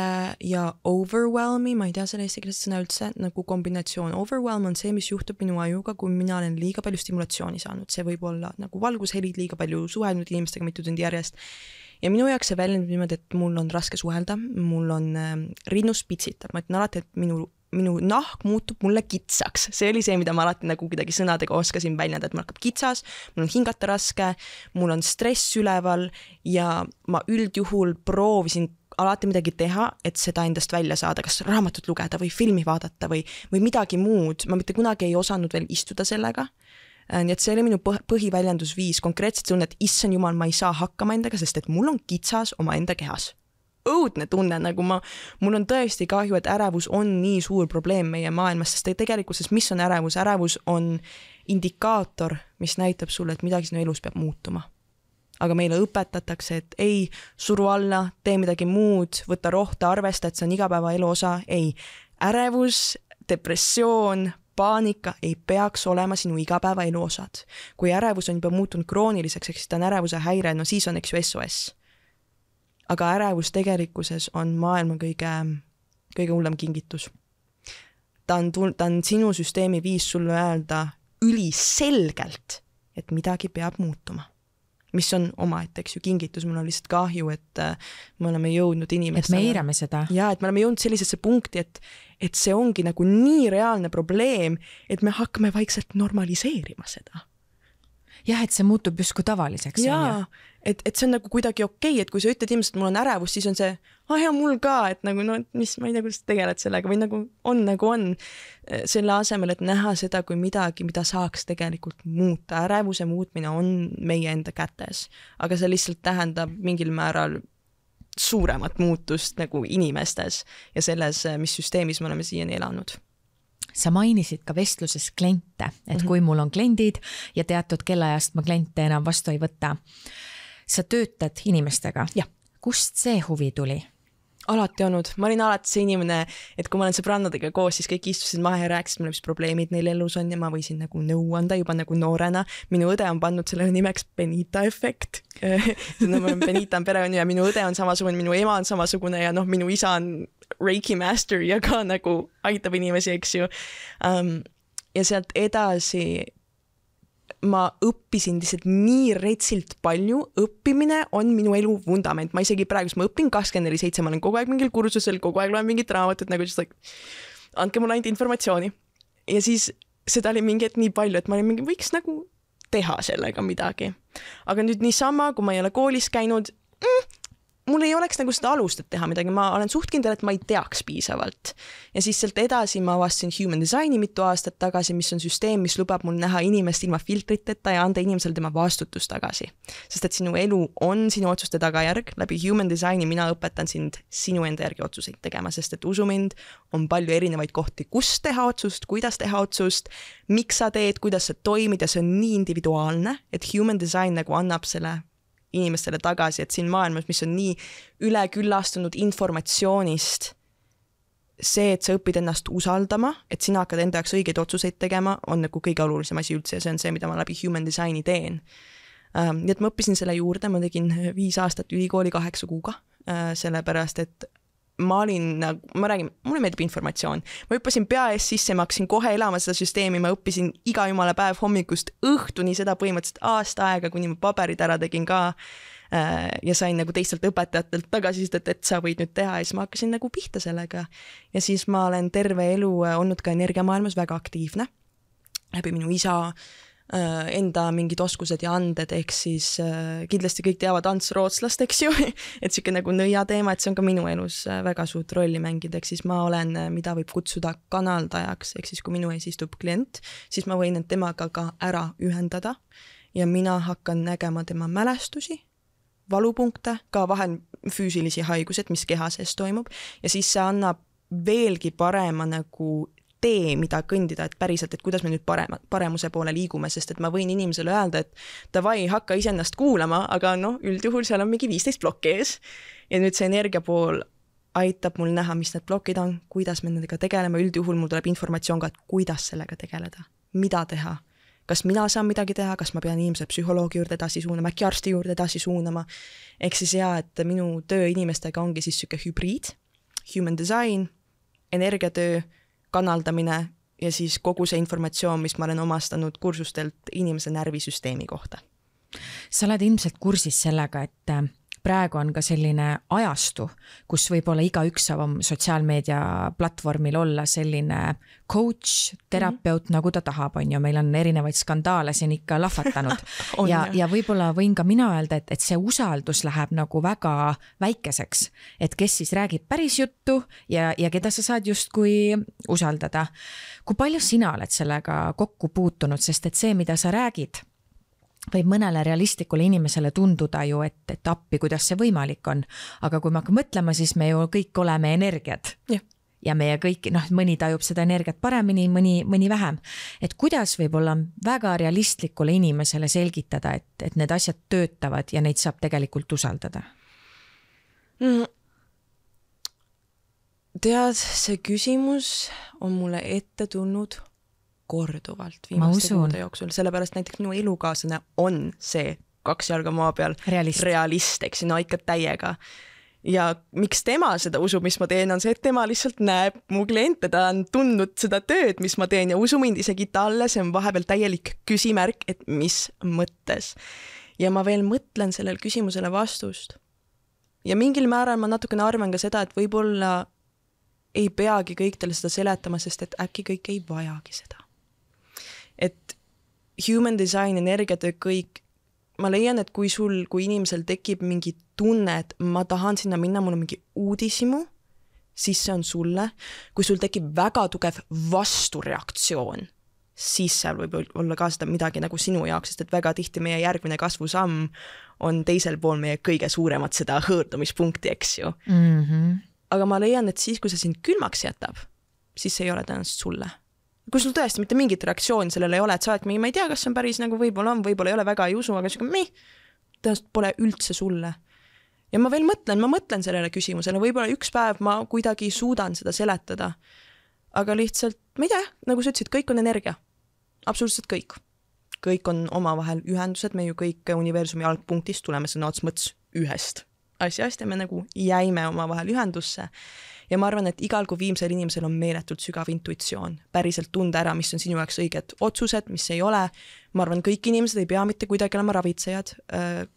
ja overwhelmi, ma ei tea selle eestikeelset sõna üldse, nagu kombinatsioon. Overwhelm on see, mis juhtub minu ajuga, kui mina olen liiga palju stimulatsiooni saanud. See võib olla nagu valgushelid, liiga palju suhelnud inimestega mitu tundi järjest. Ja minu jaoks see väljendub niimoodi, et mul on raske suhelda, mul on rinnus pitsitab. Ma ütlen alati, et minu nahk muutub mulle kitsaks. See oli see, mida ma alati nagu kuidagi sõnadega oskasin väljenda, et mul hakkab kitsas, mul on hingata raske, mul on stress üleval ja ma üldjuhul proovisin alati midagi teha, et seda endast välja saada, kas raamatut lugeda või filmi vaadata või midagi muud. Ma mitte kunagi ei osanud veel istuda sellega. Nii et see oli minu põhiväljendusviis. Konkreetselt see on, et issand jumal, ma ei saa hakkama endaga, sest et mul on kitsas oma enda kehas. Õudne tunne, nagu mul on tõesti kahju, et ärevus on nii suur probleem meie maailmas, sest tegelikkuses mis on ärevus? Ärevus on indikaator, mis näitab sulle, et midagi sinu elus peab muutuma. Aga meile õpetatakse, et ei, suru alla, tee midagi muud, võta rohta, arvesta, et see on igapäeva elu osa. Ei, ärevus, depressioon, paanika ei peaks olema sinu igapäevaelu osad. Kui ärevus on juba muutunud krooniliseks, ehk siis ta on ärevuse häire, no siis on eks ju SOS. Aga ärevus tegelikkuses on maailma kõige hullem kingitus. Ta on sinu süsteemi viis sulle öelda üliselgelt, et midagi peab muutuma. Mis on omaette, eks ju, kingitus. Mul on lihtsalt kahju, et me oleme jõudnud inimestele. Et me eirame seda. Ja, et me oleme jõudnud sellisesse punkti, et see ongi nagu nii reaalne probleem, et me hakkame vaikselt normaliseerima seda. Jah, et see muutub justkui tavaliseks. Jaa, et see on nagu kuidagi okei, et kui sa ütled inimesed, et mul on ärevus, siis on see, ja mul ka, et nagu, no mis, ma ei tea, kuidas tegeled sellega, või nagu on selle asemel, et näha seda kui midagi, mida saaks tegelikult muuta. Ärevuse muutmine on meie enda kätes, aga see lihtsalt tähendab mingil määral suuremat muutust nagu inimestes ja selles, mis süsteemis me oleme siiani elanud. Sa mainisid ka vestluses kliente, et kui mul on kliendid ja teatud kellaajast ma kliente enam vastu ei võta. Sa töötad inimestega. Ja. Kust see huvi tuli? Alati olnud. Ma olin alati see inimene, et kui ma olen sõbrannadega koos, siis kõik istusid maha ja rääkisid mulle, mis probleemid neil elus on ja ma võisin nagu nõu anda juba nagu noorena. Minu õde on pandud sellele nimeks Benita efekt. Benita on perekond ja minu õde on samasugune, minu ema on samasugune ja minu isa on Reiki master ja ka nagu aitab inimesi, eks ju. Ja sealt edasi ma õppisin lihtsalt nii retsilt palju. Õppimine on minu elu vundament. Ma isegi praegu, ma õpin 24/7, ma olen kogu aeg mingil kursusel, kogu aeg loen mingit raamatut, nagu just like, andke mulle ainult informatsiooni. Ja siis seda oli mingi nii palju, et ma olin mingi, võiks nagu teha sellega midagi. Aga nüüd niisama, kui ma ei ole koolis käinud, mul ei oleks nagu seda alust, et teha midagi. Ma olen suht kindel, et ma ei teaks piisavalt. Ja siis sealt edasi ma avastasin Human Designi mitu aastat tagasi, mis on süsteem, mis lubab mul näha inimest ilma filtriteta ja anda inimesele tema vastutus tagasi. Sest et sinu elu on sinu otsuste tagajärg. Läbi Human Designi mina õpetan sind sinu enda järgi otsuseid tegema, sest et usu mind, on palju erinevaid kohti, kus teha otsust, kuidas teha otsust, miks sa teed, kuidas sa toimid ja see on nii individuaalne, et Human Design nagu annab selle inimestele tagasi, et siin maailmas, mis on nii üleküllastunud informatsioonist, see, et sa õpid ennast usaldama, et sina hakkad enda jaoks õigeid otsuseid tegema, on nagu kõige olulisem asi üldse ja see on see, mida ma läbi Human Designi teen. Nii et ma õppisin selle juurde, ma tegin 5 aastat ülikooli 8 kuuga, sellepärast, et ma räägin, mulle meeldib informatsioon. Ma hüppasin pea ees sisse, ma hakkasin kohe elama seda süsteemi, ma õppisin iga jumala päev hommikust õhtuni seda põhimõtteliselt aasta aega, kuni ma paberid ära tegin ka ja sain nagu teistelt õpetajatelt tagasisidet, et sa võid nüüd teha ja siis ma hakkasin nagu pihta sellega. Ja siis ma olen terve elu olnud ka energiamaailmas väga aktiivne. Läbi minu isa enda mingid oskused ja anded, ehk siis kindlasti kõik teavad Ants Rootslast, eks ju, et siuke nagu nõia teema, et see on ka minu elus väga suurt rolli mängida, ehk siis ma olen, mida võib kutsuda kanaldajaks, ehk siis kui minu ees istub klient, siis ma võin temaga ka ära ühendada ja mina hakkan nägema tema mälestusi, valupunkte, ka vahel füüsilisi haigused, mis keha sees toimub ja siis see annab veelgi parema nagu tee, mida kõndida, et päriselt, et kuidas me nüüd paremuse poole liigume, sest et ma võin inimesele öelda, et davai, hakka iseennast kuulama, aga üldjuhul seal on mingi 15 plokki ees ja nüüd see energia pool aitab mul näha, mis need plokid on, kuidas me nendega tegeleme, üldjuhul mul tuleb informatsioon ka, et kuidas sellega tegeleda, mida teha, kas mina saan midagi teha, kas ma pean inimese psühholoogi juurde edasi suunama, äkki arsti juurde edasi suunama, ehk siis et minu töö inimestega ongi siis süke hübriid, Human Design, energiatöö, kanaldamine ja siis kogu see informatsioon, mis ma olen omastanud kursustelt inimese närvisüsteemi kohta. Sa oled ilmselt kursis sellega, et praegu on ka selline ajastu, kus võib-olla igaüks saab oma sotsiaalmeedia platvormil olla selline coach, terapeut, nagu ta tahab, on ju, meil on erinevaid skandaale siin ikka lahvatanud ja võib-olla võin ka mina öelda, et see usaldus läheb nagu väga väikeseks, et kes siis räägib päris juttu ja keda sa saad justkui usaldada. Kui palju sina oled sellega kokku puutunud, sest et see, mida sa räägid, võib mõnele realistlikule inimesele tunduda ju, et appi, kuidas see võimalik on. Aga kui me hakkame mõtlema, siis me ju kõik oleme energiat. Ja meie kõik, mõni tajub seda energiat paremini, mõni vähem. Et kuidas võib olla väga realistlikule inimesele selgitada, et need asjad töötavad ja neid saab tegelikult usaldada? Tead, see küsimus on mulle ette tulnud korduvalt viimaste kuude jooksul, sellepärast näiteks minu elukaaslane on see 2 jalga maa peal realist, eks no ikka täiega. Ja miks tema seda usub, mis ma teen, on see, et tema lihtsalt näeb mu kliente, ta on tundnud seda tööd, mis ma teen ja usu mind, isegi talle see on vahepeal täielik küsimärk, et mis mõttes. Ja ma veel mõtlen sellele küsimusele vastust. Ja mingil määral ma natukene arvan ka seda, et võib-olla ei peagi kõik teile seda seletama, sest et äkki kõik ei vajagi seda. Et human design, energiatöö, kõik, ma leian, et kui inimesel tekib mingi tunne, et ma tahan sinna minna, mul on mingi uudishimu, siis see on sulle. Kui sul tekib väga tugev vastureaktsioon, siis seal võib olla ka seda midagi nagu sinu jaoks, sest et väga tihti meie järgmine kasvusamm on teisel pool meie kõige suuremat seda hõõrdumispunkti, eks ju. Aga ma leian, et siis, kui see sind külmaks jätab, siis see ei ole tõenäoliselt sulle. Kui sul tõesti mitte mingit reaktsiooni sellele ei ole, et sa oled mingi, ma ei tea, kas see on päris nagu võib-olla ei ole väga ei usu, aga tõenäoliselt pole üldse sulle. Ja ma veel mõtlen sellele küsimusele, võib-olla üks päev ma kuidagi suudan seda seletada. Aga lihtsalt, ma ei tea, nagu sa ütlesid, kõik on energia. Absoluutselt kõik. Kõik on omavahel ühendused, me ju kõik universumi algpunktist tuleme sõna ots mõts ühest asjast ja me nagu jäime omavahel ühendusse. Ja ma arvan, et igal kui viimsel inimesel on meeletult sügav intuitsioon. Päriselt tunda ära, mis on sinu jaoks õiged otsused, mis ei ole. Ma arvan, kõik inimesed ei pea mitte kuidagi olema ravitsejad.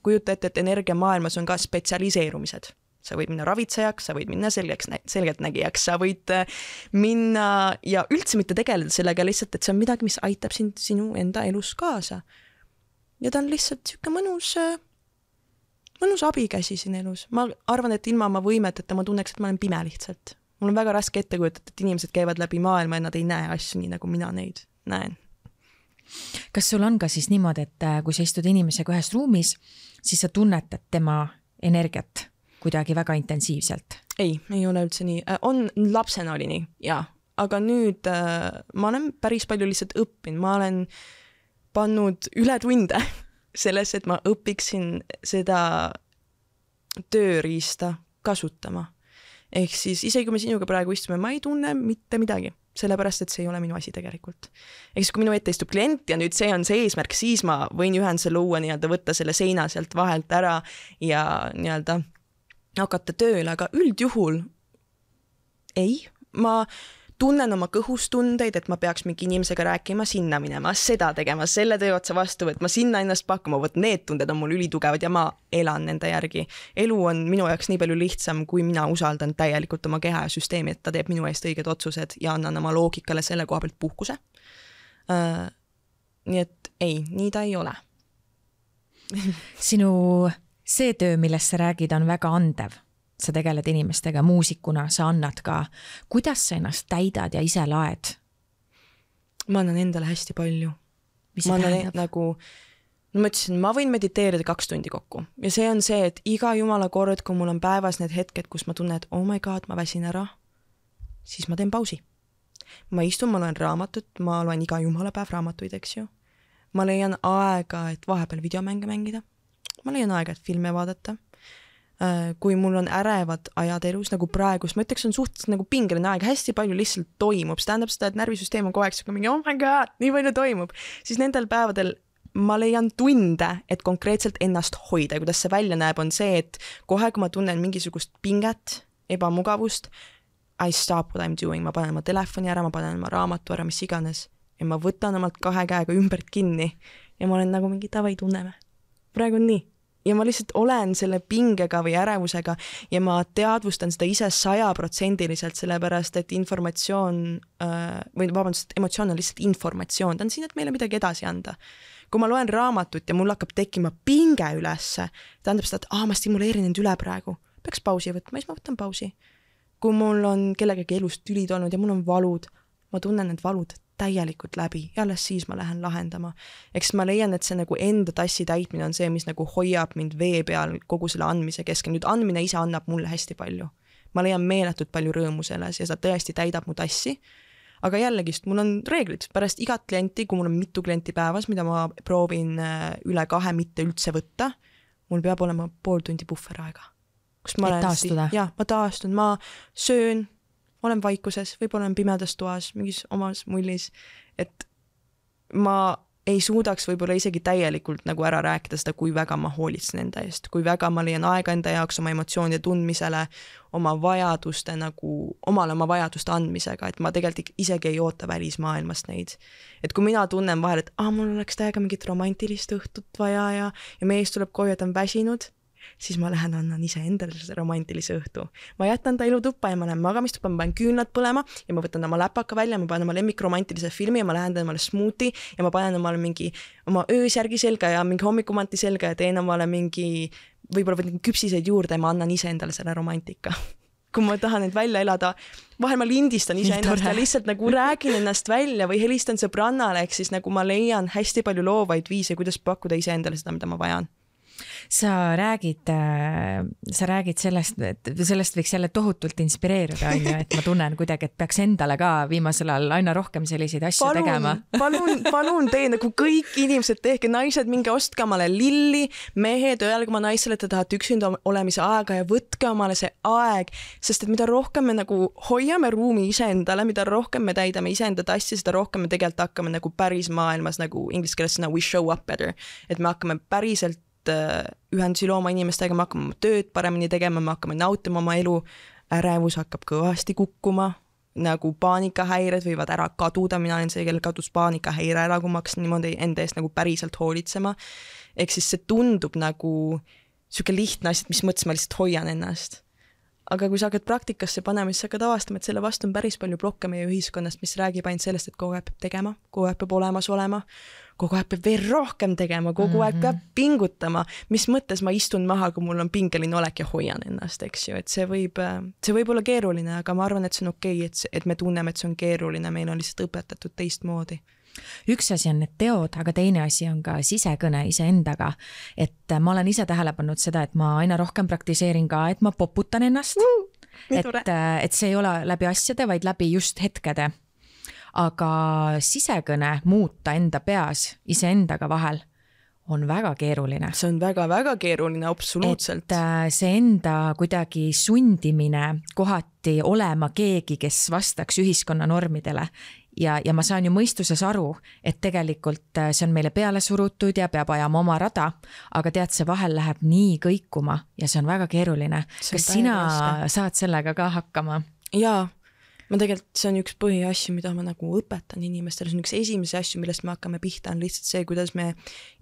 Kujuta ette, et energiamaailmas on ka spetsialiseerumised. Sa võid minna ravitsejaks, sa võid minna selgeltnägijaks, sa võid minna ja üldse mitte tegeleda sellega lihtsalt, et see on midagi, mis aitab sinu enda elus kaasa. Ja ta on lihtsalt siuke mõnus abikäsi siin elus. Ma arvan, et ilma oma võimeteta ma tunneks, et ma olen pime lihtsalt. Mul on väga raske ette kujutada, et inimesed käivad läbi maailma ja nad ei näe asju nii, nagu mina neid näen. Kas sul on ka siis niimoodi, et kui sa istud inimesega ühes ruumis, siis sa tunnetad tema energiat kuidagi väga intensiivselt? Ei ole üldse nii. Lapsena oli nii, jaa. Aga nüüd ma olen päris palju lihtsalt õppinud. Ma olen pannud üle tunde selles, et ma õpiksin seda tööriista kasutama. Ehk siis isegi kui me sinuga praegu istume, ma ei tunne mitte midagi. Sellepärast, et see ei ole minu asi tegelikult. Ehk siis kui minu ette istub klient ja nüüd see on see eesmärk, siis ma võin ühenduse luua, võtta selle seina sealt vahelt ära ja hakata tööle, aga üldjuhul ei. Ma tunnen oma kõhustundeid, et ma peaks mingi inimesega rääkima, sinna minema, seda tegema, selle töö otsa vastu võtma, sinna ennast pakkuma, need tunded on mul ülitugevad ja ma elan nende järgi. Elu on minu jaoks nii palju lihtsam, kui mina usaldan täielikult oma keha ja süsteemi, et ta teeb minu eest õiged otsused ja annan oma loogikale selle koha pealt puhkuse. Nii et ei, nii ta ei ole. Sinu see töö, millest sa räägid, on väga andev. Sa tegeled inimestega muusikuna, sa annad ka. Kuidas sa ennast täidad ja ise laed? Ma annan endale hästi palju. Mis see tähendab? Ma ütlesin, ma võin mediteerida 2 tundi kokku. Ja see on see, et iga jumala kord, kui mul on päevas need hetked, kus ma tunnen, et oh my god, ma väsin ära, siis ma teen pausi. Ma istun, ma loen raamatut, ma loen iga jumala päev raamatuid, eks ju. Ma leian aega, et vahepeal videomänge mängida. Ma leian aega, et filme vaadata. Kui mul on ärevad ajad elus, nagu praegus, ma ütleks, on suhteliselt nagu pingeline aeg, hästi palju lihtsalt toimub, see tähendab seda, et närvisüsteem on kogu aeg mingi, oh my god, nii palju toimub, siis nendel päevadel ma leian tunde, et konkreetselt ennast hoida ja kuidas see välja näeb, on see, et kohe, kui ma tunnen mingisugust pinget, ebamugavust, I stop what I'm doing, ma panen oma telefoni ära, ma panen oma raamatu ära, mis iganes ja ma võtan omalt 2 käega ümbert kinni ja ma olen nagu mingi tavai tunneme. Praegu on nii. Ja ma lihtsalt olen selle pingega või ärevusega ja ma teadvustan seda ise 100%, sellepärast, et emotsioon on lihtsalt informatsioon. Ta on siin, et meile midagi edasi anda. Kui ma loen raamatut ja mul hakkab tekkima pinge ülesse, tähendab seda, et ma stimuleerin end üle praegu. Peaks pausi võtma, siis ma võtan pausi. Kui mul on kellegagi elus tülid olnud ja mul on valud, ma tunnen need valud täielikult läbi ja alles siis ma lähen lahendama. Eks ma leian, et see nagu enda tassi täitmine on see, mis nagu hoiab mind vee peal kogu selle andmise keskel. Nüüd andmine ise annab mulle hästi palju. Ma leian meeletult palju rõõmu selles ja seda tõesti täidab mu tassi. Aga jällegist, mul on reeglid. Pärast igat klienti, kui mul on mitu klienti päevas, mida ma proovin üle 2 mitte üldse võtta, mul peab olema 0,5 tundi puhveraega. Et taastuda? Jah, ma taastun, ma söön, olen vaikuses, võib-olla olen pimedas toas, mingis omas mullis, et ma ei suudaks võib-olla isegi täielikult nagu ära rääkida seda, kui väga ma hoolitsen enda eest, kui väga ma leian aega enda jaoks oma emotsioonide tundmisele, oma vajaduste nagu, oma vajaduste andmisega, et ma tegelikult isegi ei oota välismaailmast neid. Et kui mina tunnen vahel, et mul oleks täiega mingit romantilist õhtut vaja ja mees tuleb koju, et on väsinud, siis ma lähen annan ise endale selle romantilise õhtu. Ma jätan ta ilutuppa ja ma lähen magamistuppa, ma panen küünlad põlema ja ma võtan oma läpaka välja, ma panen oma lemmikromantilise filmi ja ma lähen omale smuuti ja ma panen omale mingi oma öösärgi selga ja mingi hommikumanti selga ja teen omale mingi, võib-olla võtan küpsiseid juurde ja ma annan ise endale selle romantika. Kui ma tahan neid välja elada, vahel ma lindistan ise ennast ja lihtsalt nagu räägin ennast välja või helistan sõbrannale, ehk siis nagu ma leian hästi palju loovaid viise, kuidas pakkuda ise endale seda, mida ma vajan. Sa räägid sellest, et sellest võiks jälle tohutult inspireeruda, et ma tunnen kuidagi, et peaks endale ka viimasel ajal aina rohkem selliseid asju tegema. Palun tee, nagu kõik inimesed tehke, naised, minge ostke omale lilli, mehed, öelge oma naisele, et te tahate üksinda olemise aega ja võtke omale see aeg, sest et mida rohkem me nagu hoiame ruumi iseendale, mida rohkem me täidame iseenda tassi, seda rohkem me tegelikult hakkame nagu päris maailmas, nagu inglise keeles sõna we show up better, et me hakkame päriselt ühendusi looma inimestega, me hakkame tööd paremini tegema, me hakkame nautima oma elu, ärevus hakkab kõvasti kukkuma, nagu paanikahäired võivad ära kaduda, mina olen see, kellel kadus paanikahäire ära, kui ma hakkasin niimoodi enda eest nagu päriselt hoolitsema. Ehk siis see tundub nagu siuke lihtne asi, mis mõttes ma lihtsalt hoian ennast. Aga kui sa hakkad praktikasse panema, siis sa hakkad avastama, et selle vastu on päris palju blokke meie ühiskonnast, mis räägib ainult sellest, et kogu aeg peab tegema, kogu aeg peab olemas olema, kogu aeg peab veel rohkem tegema, kogu aeg peab pingutama, mis mõttes ma istun maha, kui mul on pingeline olek ja hoian ennast, eks ju, et see võib olla keeruline, aga ma arvan, et see on okei, et me tunneme, et see on keeruline, meil on lihtsalt õpetatud teistmoodi. Üks asi on need teod, aga teine asi on ka sisekõne iseendaga, et ma olen ise tähele pannud seda, et ma aina rohkem praktiseerin ka, et ma poputan ennast, et see ei ole läbi asjade, vaid läbi just hetkede. Aga sisekõne muuta enda peas iseendaga vahel on väga keeruline. See on väga-väga keeruline, absoluutselt. Et see enda kuidagi sundimine kohati olema keegi, kes vastaks ühiskonna normidele. Ja ma saan ju mõistuses aru, et tegelikult see on meile peale surutud ja peab ajama oma rada, aga tead, see vahel läheb nii kõikuma ja see on väga keeruline. Kas sina saad sellega ka hakkama? Jaa. Ma tegelikult, see on üks põhiasju, mida ma nagu õpetan inimestele, see on üks esimese asju, millest me hakkame pihta, on lihtsalt see, kuidas me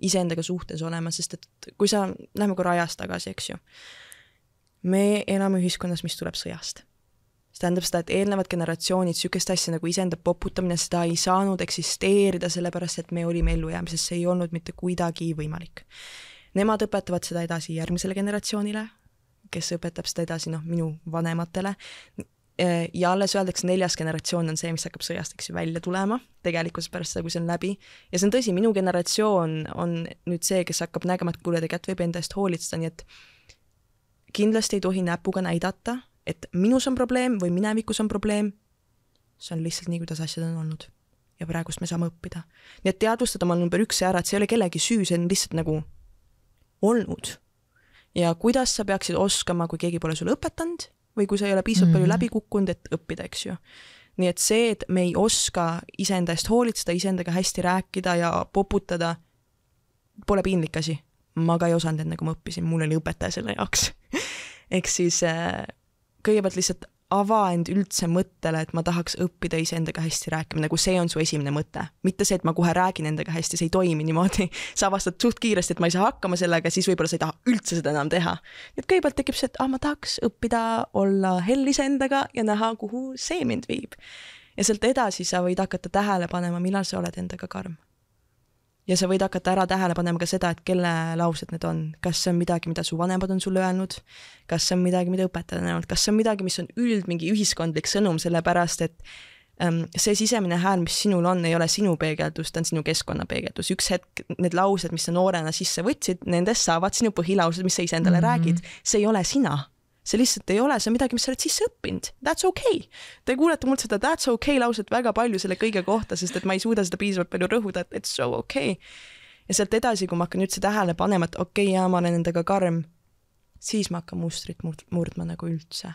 iseendaga suhtes olema, sest et kui sa läheme korra ajas tagasi, eks ju, me elame ühiskonnas, mis tuleb sõjast. See tähendab seda, et eelnevad generatsioonid sükest asja nagu iseenda poputamine, seda ei saanud eksisteerida sellepärast, et me olime ellujäämises, see ei olnud mitte kuidagi võimalik. Nemad õpetavad seda edasi järgmisele generatsioonile, kes õpetab seda edasi minu vanematele. Ja alles öeldakse 4. generatsioon on see, mis hakkab sõjast välja tulema, tegelikult pärast seda, kui see on läbi. Ja see on tõsi, minu generatsioon on nüüd see, kes hakkab nägema, et kuule, tegelikult võib enda eest hoolitseda, nii et kindlasti ei tohi näpuga näidata, et minus on probleem või minevikus on probleem. See on lihtsalt nii, kuidas asjad on olnud. Ja praegust me saame õppida. Nii et teadvustada oma number 1 ära, et see ei ole kellegi süü, see on lihtsalt nagu olnud. Ja kuidas sa peaksid oskama, kui keegi pole sulle õpetanud, või kui sa ei ole piisavalt palju läbi kukkunud, et õppida, eks ju. Nii et see, et me ei oska iseenda eest hoolitseda, iseendaga hästi rääkida ja poputada, pole piinlik asi. Ma ka ei osanud enne, kui ma õppisin, mul oli õpetaja selle jaoks. Ehk siis kõigepealt lihtsalt ava end üldse mõttele, et ma tahaks õppida iseendaga hästi rääkima, nagu see on su esimene mõte. Mitte see, et ma kohe räägin endaga hästi, see ei toimi niimoodi. Sa avastad suht kiiresti, et ma ei saa hakkama sellega, siis võib-olla sa ei taha üldse seda enam teha. Nii et kõigepealt tekib see, et ma tahaks õppida olla hellis endaga ja näha, kuhu see mind viib. Ja sealt edasi sa võid hakata tähele panema, millal sa oled endaga karm. Ja sa võid hakata ära tähele panema ka seda, et kelle laused need on. Kas see on midagi, mida su vanemad on sulle öelnud? Kas see on midagi, mida õpetajad on öelnud? Kas see on midagi, mis on mingi ühiskondlik sõnum, sellepärast, et see sisemine hääl, mis sinul on, ei ole sinu peegeldus, ta on sinu keskkonna peegeldus. Üks hetk need laused, mis sa noorena sisse võtsid, nendest saavad sinu põhilaused, mis sa ise endale räägid. See ei ole sina. See lihtsalt ei ole, see on midagi, mis sa oled sisse õppinud. That's okay. Te kuulete mult seda that's okay lauset väga palju selle kõige kohta, sest et ma ei suuda seda piisavalt palju rõhuda, et it's so okay. Ja sealt edasi, kui ma hakkan üldse tähele panema, et okei, ma olen endaga karm, siis ma hakkan mustrit murdma nagu üldse.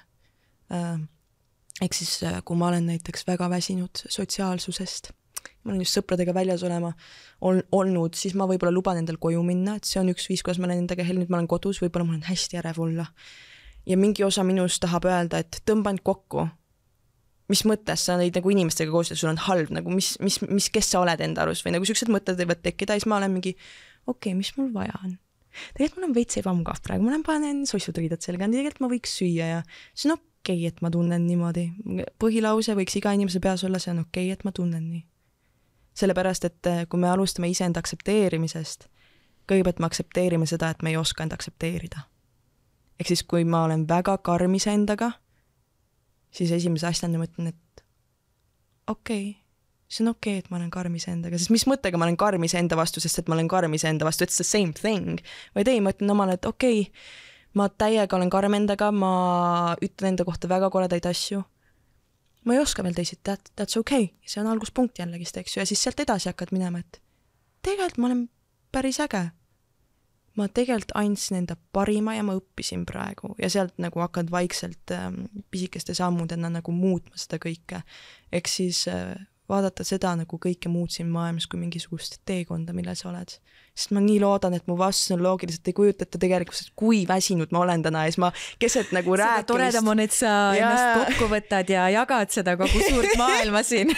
Ehk siis, kui ma olen näiteks väga väsinud sotsiaalsusest ma olen just sõpradega väljas olnud, siis ma võib-olla luban endal koju minna, et see on üks viis, kuidas ma olen endaga nüüd ma olen kodus, võib-olla mul on hästi ärev olla. Ja mingi osa minust tahab öelda, et tõmba end kokku. Mis mõttes sa olid nagu inimestega koos ja sul on halb, nagu kes sa oled enda arust või nagu sellised mõtted võivad tekkida, siis ma olen mingi, okei, mis mul vaja on? Tegelikult mul on veits ebamugav praegu, ma panen sossud riidad selga, tegelikult ma võiks süüa ja see on okei, et ma tunnen niimoodi. Põhilause võiks iga inimese peas olla, see on okei, et ma tunnen nii. Sellepärast, et kui me alustame iseenda aksepteerimisest, kõigepealt me aktsepteerime seda, et me ei oska enda aksepteerida. Ehk siis, kui ma olen väga karmis endaga, siis esimese asjana mõtlen, et okei, see on okei, et ma olen karmis endaga, sest mis mõttega ma olen karmis enda vastu, sest et ma olen karmis enda vastu, it's the same thing. Vaid ei, ma ütlen omale, et okei, ma täiega olen karm endaga, ma ütlen enda kohta väga koledaid asju. Ma ei oska veel teised, that's okay. See on alguspunkt jällegist, eks ju, ja siis sealt edasi hakkad minema, et tegelikult ma olen päris äge. Ma tegelikult andsin enda parima ja ma õppisin praegu ja sealt nagu hakkad vaikselt pisikeste sammudena nagu muutma seda kõike. Ehk siis vaadata seda nagu kõike muutsin maailmas kui mingisugust teekonda, mille sa oled. Sest ma nii loodan, et mu vastus on loogiliselt ei kujutata tegelikult, kui väsinud ma olen täna ja siis ma keset nagu rääkimist. Seda toredam on, et sa ennast kokku võtad ja jagad seda kogu suurt maailma siin.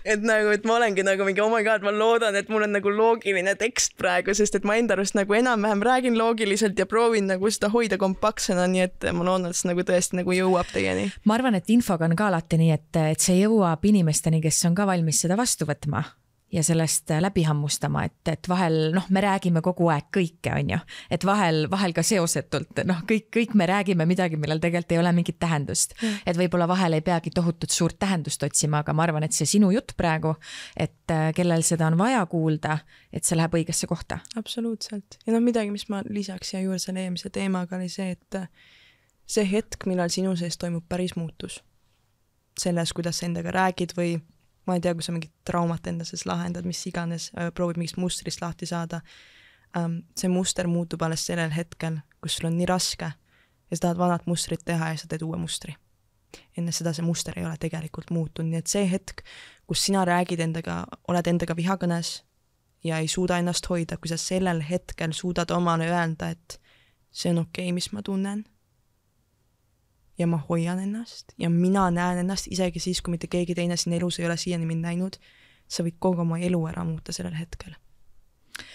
Et nagu, et ma olengi nagu mingi, oh my god, ma loodan, et mul on nagu loogiline tekst praegu, sest et ma enda arust nagu enam-vähem räägin loogiliselt ja proovin nagu seda hoida kompaktsena, nii et ma loodan, et see nagu tõesti nagu jõuab teieni. Ma arvan, et infoga on ka alati nii, et see jõuab inimesteni, kes on ka valmis seda vastu võtma ja sellest läbi hammustama, et vahel, me räägime kogu aeg kõike, on ju, et vahel ka seosetult, kõik me räägime midagi, millel tegelikult ei ole mingit tähendust, et võib-olla vahel ei peagi tohutut suurt tähendust otsima, aga ma arvan, et see sinu jutt praegu, et kellel seda on vaja kuulda, et see läheb õigesse kohta. Absoluutselt. Ja midagi, mis ma lisaks ja juurde selle eelmise teemaga oli see, et see hetk, millal sinu sees toimub päris muutus selles, kuidas sa endaga räägid või ma ei tea, kui sa mingit traumat enda sees lahendad, mis iganes, proovid mingist mustrist lahti saada. See muster muutub alles sellel hetkel, kus sul on nii raske ja sa tahad vanat mustrit teha ja sa teed uue mustri. Enne seda see muster ei ole tegelikult muutunud, nii et see hetk, kus sina räägid endaga, oled endaga vihakõnes ja ei suuda ennast hoida, kui sa sellel hetkel suudad omale öelda, et see on okei, mis ma tunnen ja ma hoian ennast ja mina näen ennast isegi siis, kui mitte keegi teine siin elus ei ole siiani mind näinud, sa võid kogu oma elu ära muuta sellel hetkel.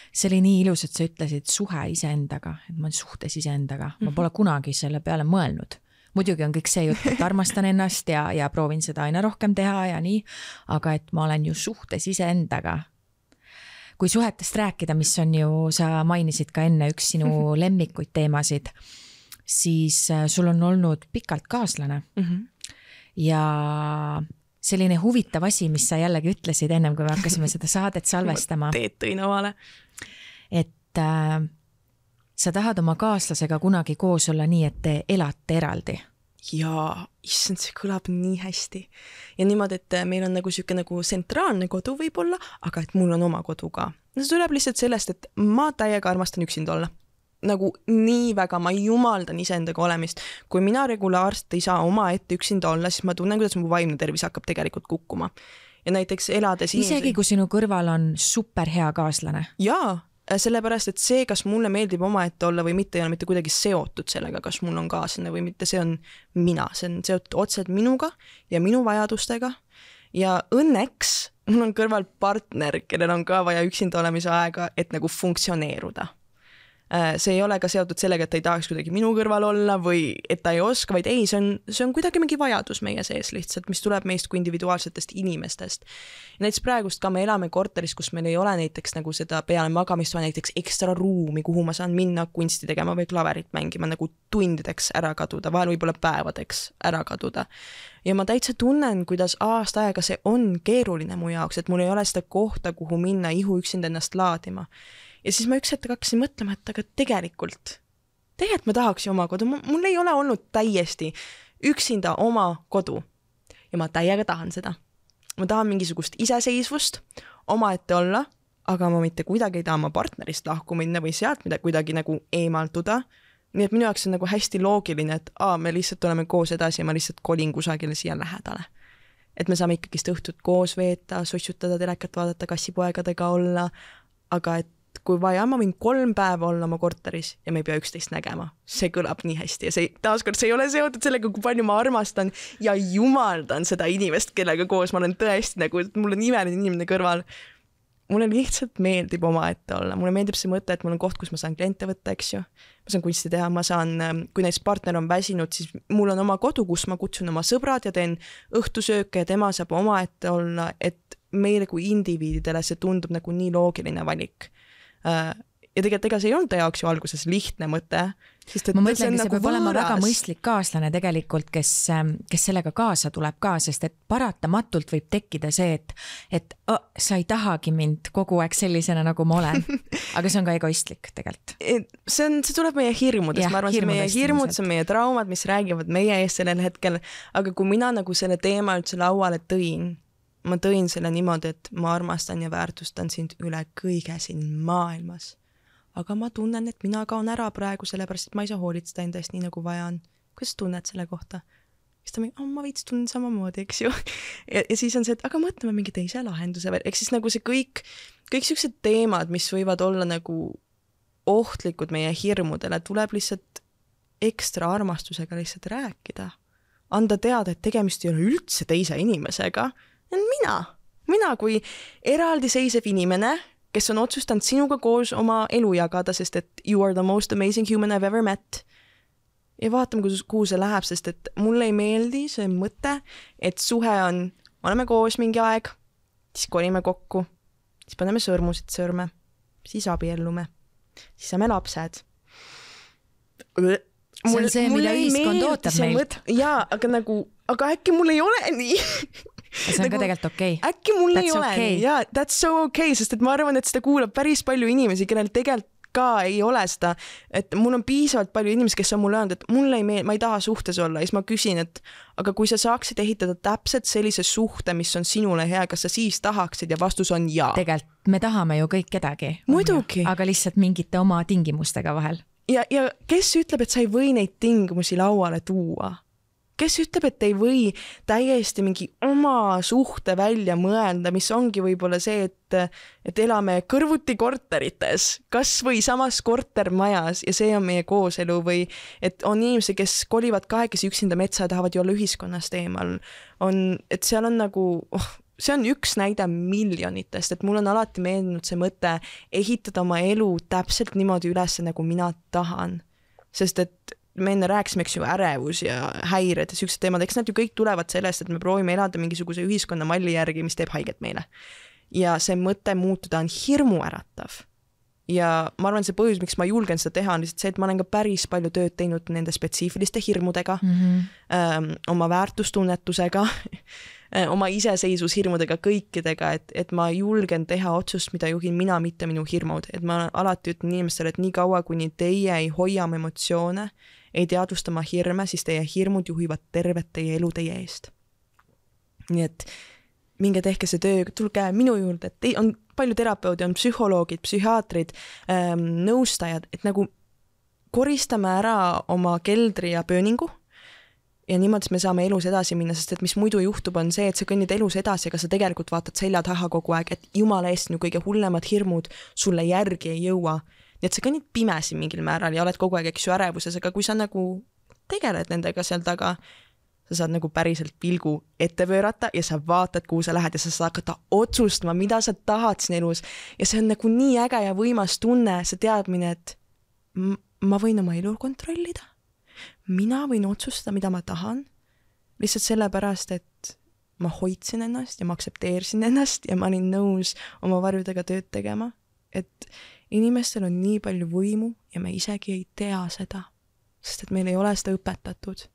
See oli nii ilus, et sa ütlesid suhe iseendaga, et ma olen suhtes iseendaga. Ma pole kunagi selle peale mõelnud. Muidugi on kõik see jutt, et armastan ennast ja proovin seda aina rohkem teha ja nii, aga et ma olen ju suhtes iseendaga. Kui suhetest rääkida, mis on ju, sa mainisid ka enne üks sinu lemmikuid teemasid, siis sul on olnud pikalt kaaslane. Ja selline huvitav asi, mis sa jällegi ütlesid ennem, kui me hakkasime seda saadet salvestama. Teed tõin avale. Et sa tahad oma kaaslasega kunagi koos olla nii, et te elate eraldi. Jaa, issand, see kõlab nii hästi. Ja niimoodi, et meil on nagu siuke nagu sentraalne kodu võib-olla, aga et mul on oma kodu ka. See tuleb lihtsalt sellest, et ma täiega armastan üksinda olla. Nagu nii väga, ma jumaldan iseendaga olemist. Kui mina regulaarselt ei saa oma ette üksinda olla, siis ma tunnen, kuidas mu vaimne tervis hakkab tegelikult kukkuma. Ja näiteks elades isegi kui sinu kõrval on super hea kaaslane. Jaa, sellepärast, et see, kas mulle meeldib oma ette olla või mitte, ei ole mitte kuidagi seotud sellega, kas mul on kaaslane või mitte, see on mina. See on seotud otseselt minuga ja minu vajadustega. Ja õnneks mul on kõrval partner, kellel on ka vaja üksinda olemise aega, et nagu funktsioneeruda. See ei ole ka seotud sellega, et ta ei tahaks kuidagi minu kõrval olla või et ta ei oska, vaid ei, see on kuidagi mingi vajadus meie sees lihtsalt, mis tuleb meist kui individuaalsetest inimestest. Ja näiteks praegust ka me elame korteris, kus meil ei ole näiteks nagu seda peale magamist või näiteks ekstra ruumi, kuhu ma saan minna kunsti tegema või klaverit mängima nagu tundideks ära kaduda, vahel võib-olla päevadeks ära kaduda. Ja ma täitsa tunnen, kuidas aasta aega see on keeruline mu jaoks, et mul ei ole seda kohta, kuhu minna ihu üksinda ennast laadima. Ja siis ma üks hetk hakkasin mõtlema, et aga tegelikult ma tahaks oma kodu. Mul ei ole olnud täiesti üksinda oma kodu. Ja ma täiega tahan seda. Ma tahan mingisugust iseseisvust, oma ette olla, aga ma mitte kuidagi ei taha oma partnerist lahku minna või sealt mida kuidagi nagu eemaltuda. Nii et minu jaoks on nagu hästi loogiline, et me lihtsalt oleme koos edasi ja ma lihtsalt kolin kusagile siia lähedale. et me saame ikkagist õhtut koos veeta, sossutada, telekat vaadata, kassipoegadega olla, aga et kui vaja, ma võin 3 päeva olla oma korteris ja me ei pea üksteist nägema. See kõlab nii hästi ja taaskord see ei ole seotud sellega, kui palju ma armastan ja jumaldan seda inimest, kellega koos ma olen tõesti nagu, mul on imeline inimene kõrval. Mulle lihtsalt meeldib omaette olla. Mulle meeldib see mõte, et mul on koht, kus ma saan kliente võtta, eks ju. Ma saan kunsti teha, ma saan, kui näiteks partner on väsinud, siis mul on oma kodu, kus ma kutsun oma sõbrad ja teen õhtusööke ja tema saab omaette olla, et meile kui indiviididele see tundub nagu nii loogiline valik. Ja tegelikult see ei olnud ta jaoks ju alguses lihtne mõte. Ma mõtlengi, see peab olema väga mõistlik kaaslane tegelikult, kes sellega kaasa tuleb ka, sest et paratamatult võib tekkida see, et sa ei tahagi mind kogu aeg sellisena, nagu ma olen. Aga see on ka egoistlik tegelikult. See tuleb meie hirmudest, ma arvan, see meie hirmud, see meie traumad, mis räägivad meie ees sellel hetkel, aga kui mina nagu selle teema üldse lauale ma tõin selle niimoodi, et ma armastan ja väärtustan sind üle kõige siin maailmas. Aga ma tunnen, et mina kaon ära praegu, sellepärast, et ma ei saa hoolitseda enda eest nii, nagu vaja on. Kuidas tunned selle kohta? Siis ta ma veits tunnen samamoodi, eks ju. Ja siis on see, et aga mõtleme mingi teise lahenduse veel. Eks siis nagu see kõik sellised teemad, mis võivad olla nagu ohtlikud meie hirmudele, tuleb lihtsalt ekstra armastusega lihtsalt rääkida. Anda teada, et tegemist ei ole üldse teise inimesega. Mina kui eraldiseisev inimene, kes on otsustanud sinuga koos oma elu jagada, sest et you are the most amazing human I've ever met. Ja vaatame, kuhu see läheb, sest et mulle ei meeldi see mõte, et suhe on, oleme koos mingi aeg, siis kolime kokku, siis paneme sõrmusid sõrme, siis abiellume, siis saame lapsed. See on see, mida ühiskond ootab meilt. Jaa, aga äkki mul ei ole nii. See on ka tegelikult okei. Äkki mul ei ole nii, jaa, that's so okay, sest et ma arvan, et seda kuulab päris palju inimesi, kellel tegelikult ka ei ole seda, et mul on piisavalt palju inimesi, kes on mulle öelnud, et mulle ei meeldi, ma ei taha suhtes olla, ja siis ma küsin, et aga kui sa saaksid ehitada täpselt sellise suhte, mis on sinule hea, kas sa siis tahaksid ja vastus on jaa. Tegelikult me tahame ju kõik kedagi. Muidugi. Aga lihtsalt mingite oma tingimustega vahel. Ja kes ütleb, et sa ei või neid tingimusi lauale tuua? Kes ütleb, et ei või täiesti mingi oma suhte välja mõelda, mis ongi võib-olla see, et elame kõrvuti korterites, kas või samas kortermajas ja see on meie kooselu või et on inimesi, kes kolivad kahekesi üksinda metsa ja tahavad ju olla ühiskonnast eemal. Et seal on nagu, see on üks näide miljonitest, et mul on alati meeldinud see mõte ehitada oma elu täpselt niimoodi üles, nagu mina tahan. Sest et me enne rääkisime, eks ju, ärevus ja häired ja sellised teemad, eks nad ju kõik tulevad sellest, et me proovime elada mingisuguse ühiskonna malli järgi, mis teeb haiget meile. Ja see mõte muutuda on hirmuäratav. Ja ma arvan, see põhjus, miks ma julgen seda teha, on lihtsalt see, et ma olen ka päris palju tööd teinud nende spetsiifiliste hirmudega, oma väärtustunnetusega, oma iseseisvushirmudega, kõikidega, et ma julgen teha otsust, mida juhin mina, mitte minu hirmud. Et ma alati ütlen inimestele, et nii kaua, kuni teie ei hoia oma emotsioone, ei teadvusta oma hirme, siis teie hirmud juhivad tervet teie elu teie eest. Nii et minge tehke see töö, tulge minu juurde, et on palju terapeudi, on psühholoogid, psühhiaatrid, nõustajad, et nagu koristame ära oma keldri ja pööningu ja niimoodi me saame elus edasi minna, sest et mis muidu juhtub on see, et sa kõnnid elus edasi, aga sa tegelikult vaatad selja taha kogu aeg, et jumala eest ju kõige hullemad hirmud sulle järgi ei jõua. Nii et sa kõnnid pimesi mingil määral ja oled kogu aeg eks ju ärevuses, aga kui sa nagu tegeled nendega seal taga, sa saad nagu päriselt pilgu ette pöörata ja sa vaatad, kuhu sa lähed ja sa saad hakata otsustama, mida sa tahad siin elus. Ja see on nagu nii äge ja võimas tunne, see teadmine, et ma võin oma elu kontrollida. Mina võin otsustada, mida ma tahan. Lihtsalt sellepärast, et ma hoidsin ennast ja ma aksepteerisin ennast ja ma olin nõus oma varjudega tööd tegema. Et inimestel on nii palju võimu ja me isegi ei tea seda, sest et meil ei ole seda õpetatud.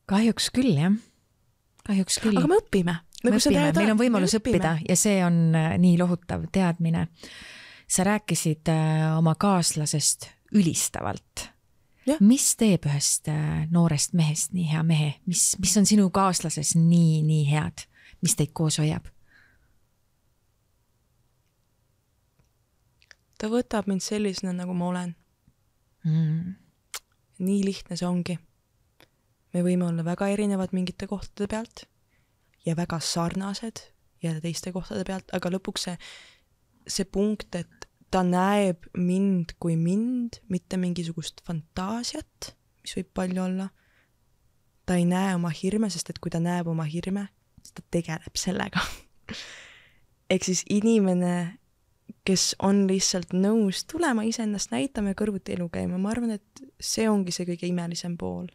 Kahjuks küll, jah. Kahjuks küll. Aga me õpime. Meil on võimalus õppida ja see on nii lohutav teadmine. Sa rääkisid oma kaaslasest ülistavalt. Ja. Mis teeb ühest noorest mehest nii hea mehe? Mis on sinu kaaslases nii head? Mis teid koos hoiab? Ta võtab mind sellisena, nagu ma olen. Nii lihtne see ongi. me võime olla väga erinevad mingite kohtade pealt ja väga sarnased jälle teiste kohtade pealt, aga lõpuks see punkt, et ta näeb mind kui mind, mitte mingisugust fantaasiat, mis võib palju olla. Ta ei näe oma hirme, sest et kui ta näeb oma hirme, siis ta tegeleb sellega. Ehk siis inimene, kes on lihtsalt nõus tulema iseennast näitama ja kõrvuti elu käima, ma arvan, et see ongi see kõige imelisem pool.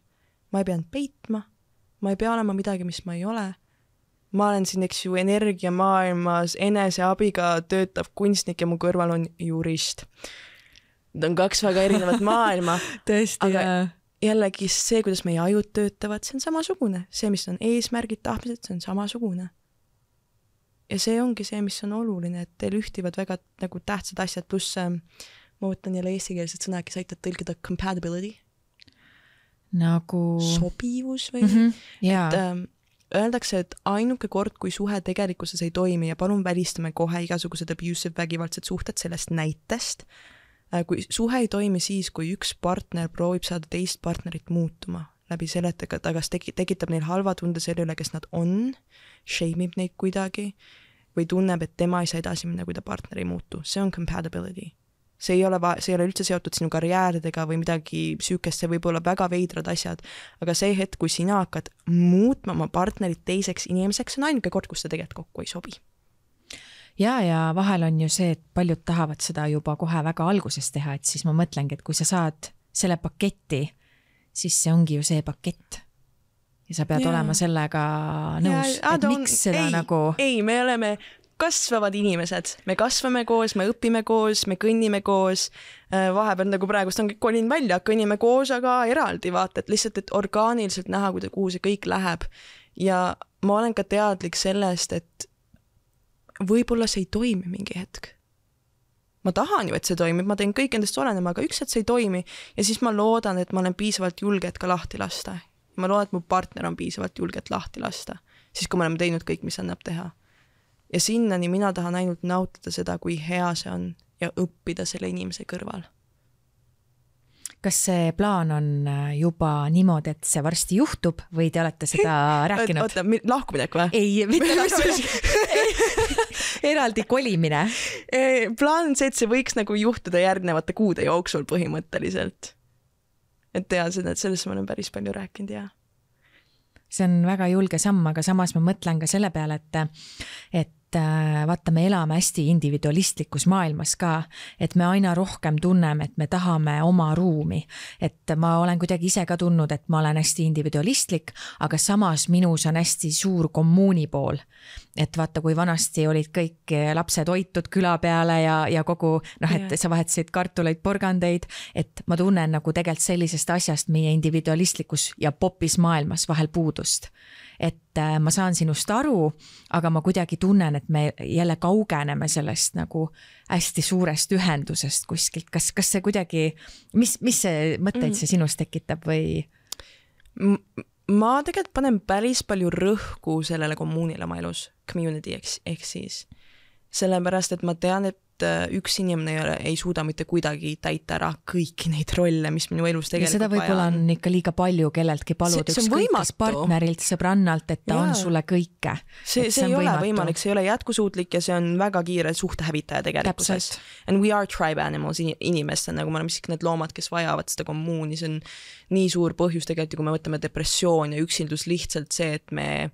Ma ei pea peitma, ma ei pea olema midagi, mis ma ei ole. Ma olen siin, eks ju, energiamaailmas eneseabiga töötav kunstnik ja mu kõrval on jurist. Need on 2 väga erinevat maailma. Tõesti, aga jällegi see, kuidas meie ajud töötavad, see on samasugune. See, mis on eesmärgid, tahtmised, see on samasugune. Ja see ongi see, mis on oluline, et teil ühtivad väga nagu tähtsad asjad, pluss ma võtan jälle eestikeelsed sõna, kes aitab tõlgida compatibility. Nagu sobivus või? Et öeldakse, et ainuke kord, kui suhe tegelikkuses ei toimi ja palun välistame kohe igasugused abusive vägivaldsed suhted sellest näitest, kui suhe ei toimi siis, kui üks partner proovib saada teist partnerit muutuma läbi selle, et ta kas tekitab neil halva tunde selle üle, kes nad on, shame'ib neid kuidagi või tunneb, et tema ei saa edasi minna, kui ta partner ei muutu. See on compatibility. See ei ole üldse seotud sinu karjääridega või midagi süükest, see võib olla väga veidrad asjad, aga see hetk, kui sina hakkad muutma oma partnerit teiseks inimeseks, on ainuke kord, kus ta tegelikult kokku ei sobi. Ja vahel on ju see, et paljud tahavad seda juba kohe väga alguses teha, et siis ma mõtlengi, et kui sa saad selle paketti, siis see ongi ju see pakett. Ja sa pead olema sellega nõus, et miks seda nagu... Ei, me oleme kasvavad inimesed. Me kasvame koos, me õpime koos, me kõnnime koos. Vahepeal nagu praegust on kolin välja, kõnnime koos, aga eraldi vaata, et lihtsalt, et orgaaniliselt näha, kuhu see kõik läheb. Ja ma olen ka teadlik sellest, et võib-olla see ei toimi mingi hetk. Ma tahan ju, et see toimib, ma teen kõik endast olenema, aga üks, et see ei toimi ja siis ma loodan, et ma olen piisavalt julge, et ka lahti lasta. Ma loodan, et mu partner on piisavalt julge, et lahti lasta. Siis kui me oleme teinud kõik, mis annab teha. Ja sinnani mina tahan ainult nautida seda, kui hea see on ja õppida selle inimese kõrval. Kas see plaan on juba niimoodi, et see varsti juhtub või te olete seda rääkinud? Oota, lahkuminek või? Ei, mitte lahkuminek. Eraldi kolimine. Plaan on see, et see võiks nagu juhtuda järgnevate kuude jooksul põhimõtteliselt. Et tea seda, et sellest ma olen päris palju rääkinud, jah. See on väga julge samm, aga samas ma mõtlen ka selle peale, et vaata, me elame hästi individualistlikus maailmas ka, et me aina rohkem tunneme, et me tahame oma ruumi. Et ma olen kuidagi ise ka tundnud, et ma olen hästi individualistlik, aga samas minus on hästi suur kommuuni pool. Et vaata, kui vanasti olid kõik lapsed hoitud küla peale ja kogu, et sa vahetasid kartuleid, porgandeid, et ma tunnen nagu tegelikult sellisest asjast meie individualistlikus ja popis maailmas vahel puudust. Et ma saan sinust aru, aga ma kuidagi tunnen, et me jälle kaugeneme sellest nagu hästi suurest ühendusest kuskilt. Kas see kuidagi, mis see mõtteid see sinust tekitab või? Ma tegelikult panen päris palju rõhku sellele kommuunile oma elus, community ehk siis. Sellepärast, et ma tean, et üks inimene ei suuda mitte kuidagi täita ära kõiki neid rolle, mis minu elus tegelikult ja seda võib-olla on ikka liiga palju kelleltki palud ükskõik partnerilt, sõbrannalt, et ta on sulle kõike. See ei ole võimalik, see ei ole jätkusuutlik ja see on väga kiire suhtehävitaja tegelikkuses. And we are tribe animals inimestel, nagu me oleme siiski need loomad, kes vajavad seda kommuuni, see on nii suur põhjus tegelikult, kui me võtame depressioon ja üksildus lihtsalt see, et me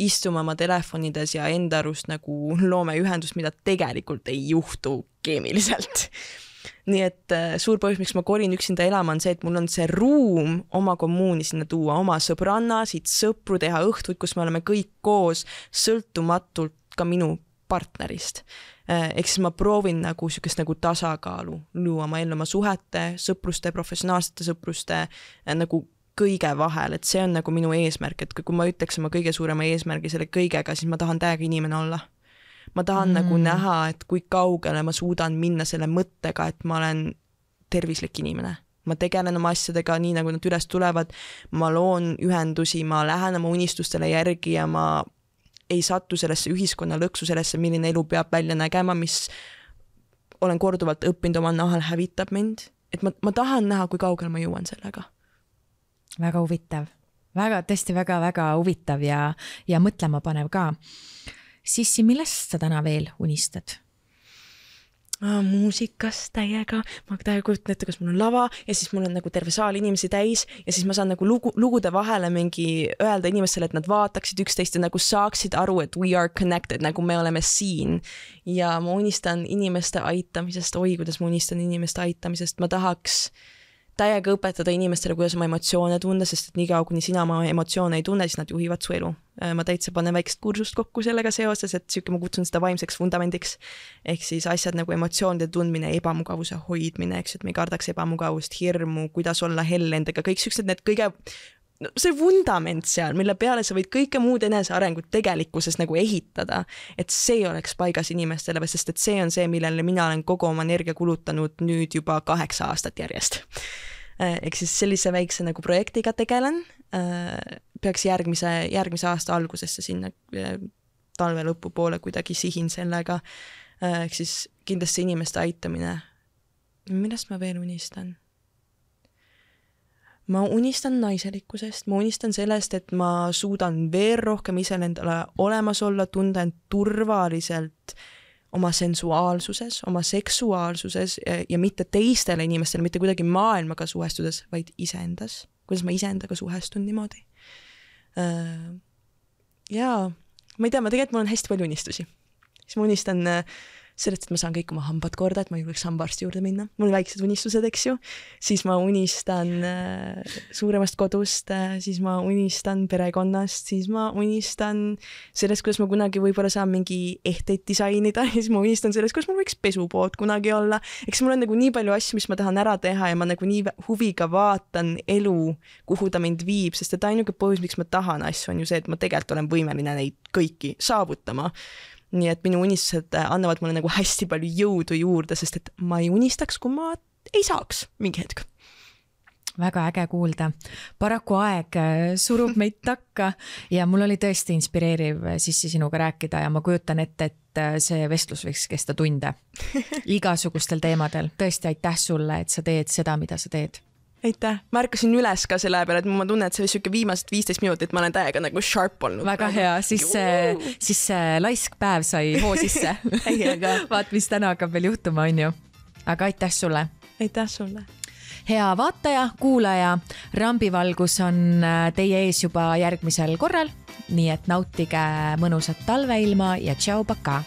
istume oma telefonides ja enda arust nagu loome ühendust, mida tegelikult ei juhtu keemiliselt. Nii et suur põhjus, miks ma kolin üksinda elama, on see, et mul on see ruum oma kommuuni sinna tuua, oma sõbrannasid, sõpru teha õhtuid, kus me oleme kõik koos, sõltumatult ka minu partnerist. Ehk siis ma proovin nagu sükest nagu tasakaalu luua oma ellu oma suhete, sõpruste, professionaalsete sõpruste nagu kõige vahel, et see on nagu minu eesmärk, et kui ma ütleks oma kõige suurema eesmärgi selle kõigega, siis ma tahan täiega inimene olla. Ma tahan nagu näha, et kui kaugele ma suudan minna selle mõttega, et ma olen tervislik inimene. Ma tegelen oma asjadega nii, nagu nad üles tulevad, ma loon ühendusi, ma lähen oma unistustele järgi ja ma ei satu sellesse ühiskonna lõksu, sellesse, milline elu peab välja nägema, mis olen korduvalt õppinud oma nahal hävitab mind. Et ma tahan näha, kui kaugele ma jõuan sellega. Väga huvitav. väga, tõesti väga-väga huvitav ja mõtlema panev ka. Sissi, millest sa täna veel unistad? Muusikast täiega, ma täiega kujutan ette, kas mul on lava ja siis mul on nagu terve saal inimesi täis ja siis ma saan nagu lugude vahele mingi öelda inimestele, et nad vaataksid üksteist ja nagu saaksid aru, et we are connected, nagu me oleme siin. Ja ma unistan inimeste aitamisest, kuidas ma unistan inimeste aitamisest, ma tahaks täiega õpetada inimestele, kuidas oma emotsioone tunda, sest et niikaua, kuni sina oma emotsioone ei tunne, siis nad juhivad su elu. Ma täitsa panen väikest kursust kokku sellega seoses, et ma kutsun seda vaimseks vundamendiks. Ehk siis asjad nagu emotsioonide tundmine, ebamugavuse hoidmine, eks, et me ei kardaks ebamugavust, hirmu, kuidas olla hell endaga, kõik süksed need see vundament seal, mille peale sa võid kõike muud enesearengut tegelikkuses nagu ehitada, et see oleks paigas inimestele, sest et see on see, millele mina olen kogu oma energia kulutanud nüüd juba 8 aastat järjest. Ehk siis sellise väikse nagu projektiga tegelen, peaks järgmise aasta algusesse sinna talve lõpupoole kuidagi sihin sellega, ehk siis kindlasti inimeste aitamine. Millest ma veel unistan? Ma unistan naiselikkusest, ma unistan sellest, et ma suudan veel rohkem ise endale olemas olla, tunda end turvaliselt oma sensuaalsuses, oma seksuaalsuses ja mitte teistele inimestele, mitte kuidagi maailmaga suhestudes, vaid iseendas. Kuidas ma iseendaga suhestun niimoodi. Ja ma ei tea, tegelikult mul on hästi palju unistusi. Siis ma unistan sellest, et ma saan kõik oma hambad korda, et ma julgeks hambaarsti juurde minna. Mul on väiksed unistused, eks ju. Siis ma unistan suuremast kodust, siis ma unistan perekonnast, siis ma unistan sellest, kuidas ma kunagi võib-olla saan mingi ehteid disainida, siis ma unistan sellest, kuidas mul võiks pesupood kunagi olla. Eks mul on nagu nii palju asju, mis ma tahan ära teha ja ma nagu nii huviga vaatan elu, kuhu ta mind viib, sest et ainuke põhjus, miks ma tahan asju, on ju see, et ma tegelikult olen võimeline neid kõiki saavutama. Nii et minu unistused annavad mulle nagu hästi palju jõudu juurde, sest et ma ei unistaks, kui ma ei saaks mingi hetk. Väga äge kuulda. Paraku aeg surub meid takka ja mul oli tõesti inspireeriv Sissi sinuga rääkida ja ma kujutan ette, et see vestlus võiks kesta tunde igasugustel teemadel. Tõesti aitäh sulle, et sa teed seda, mida sa teed. Aitäh. Ma ärkasin üles ka selle peale, et ma tunnen, et see oli siuke viimased 15 minutit, ma olen täiega nagu sharp olnud. Väga hea, siis see laisk päev sai hoo sisse. Vaat, mis täna hakkab veel juhtuma, on ju. Aga aitäh sulle. Aitäh sulle. Hea vaataja, kuulaja, Rambivalgus on teie ees juba järgmisel korral, nii et nautige mõnusat talveilma ja tšau, paka!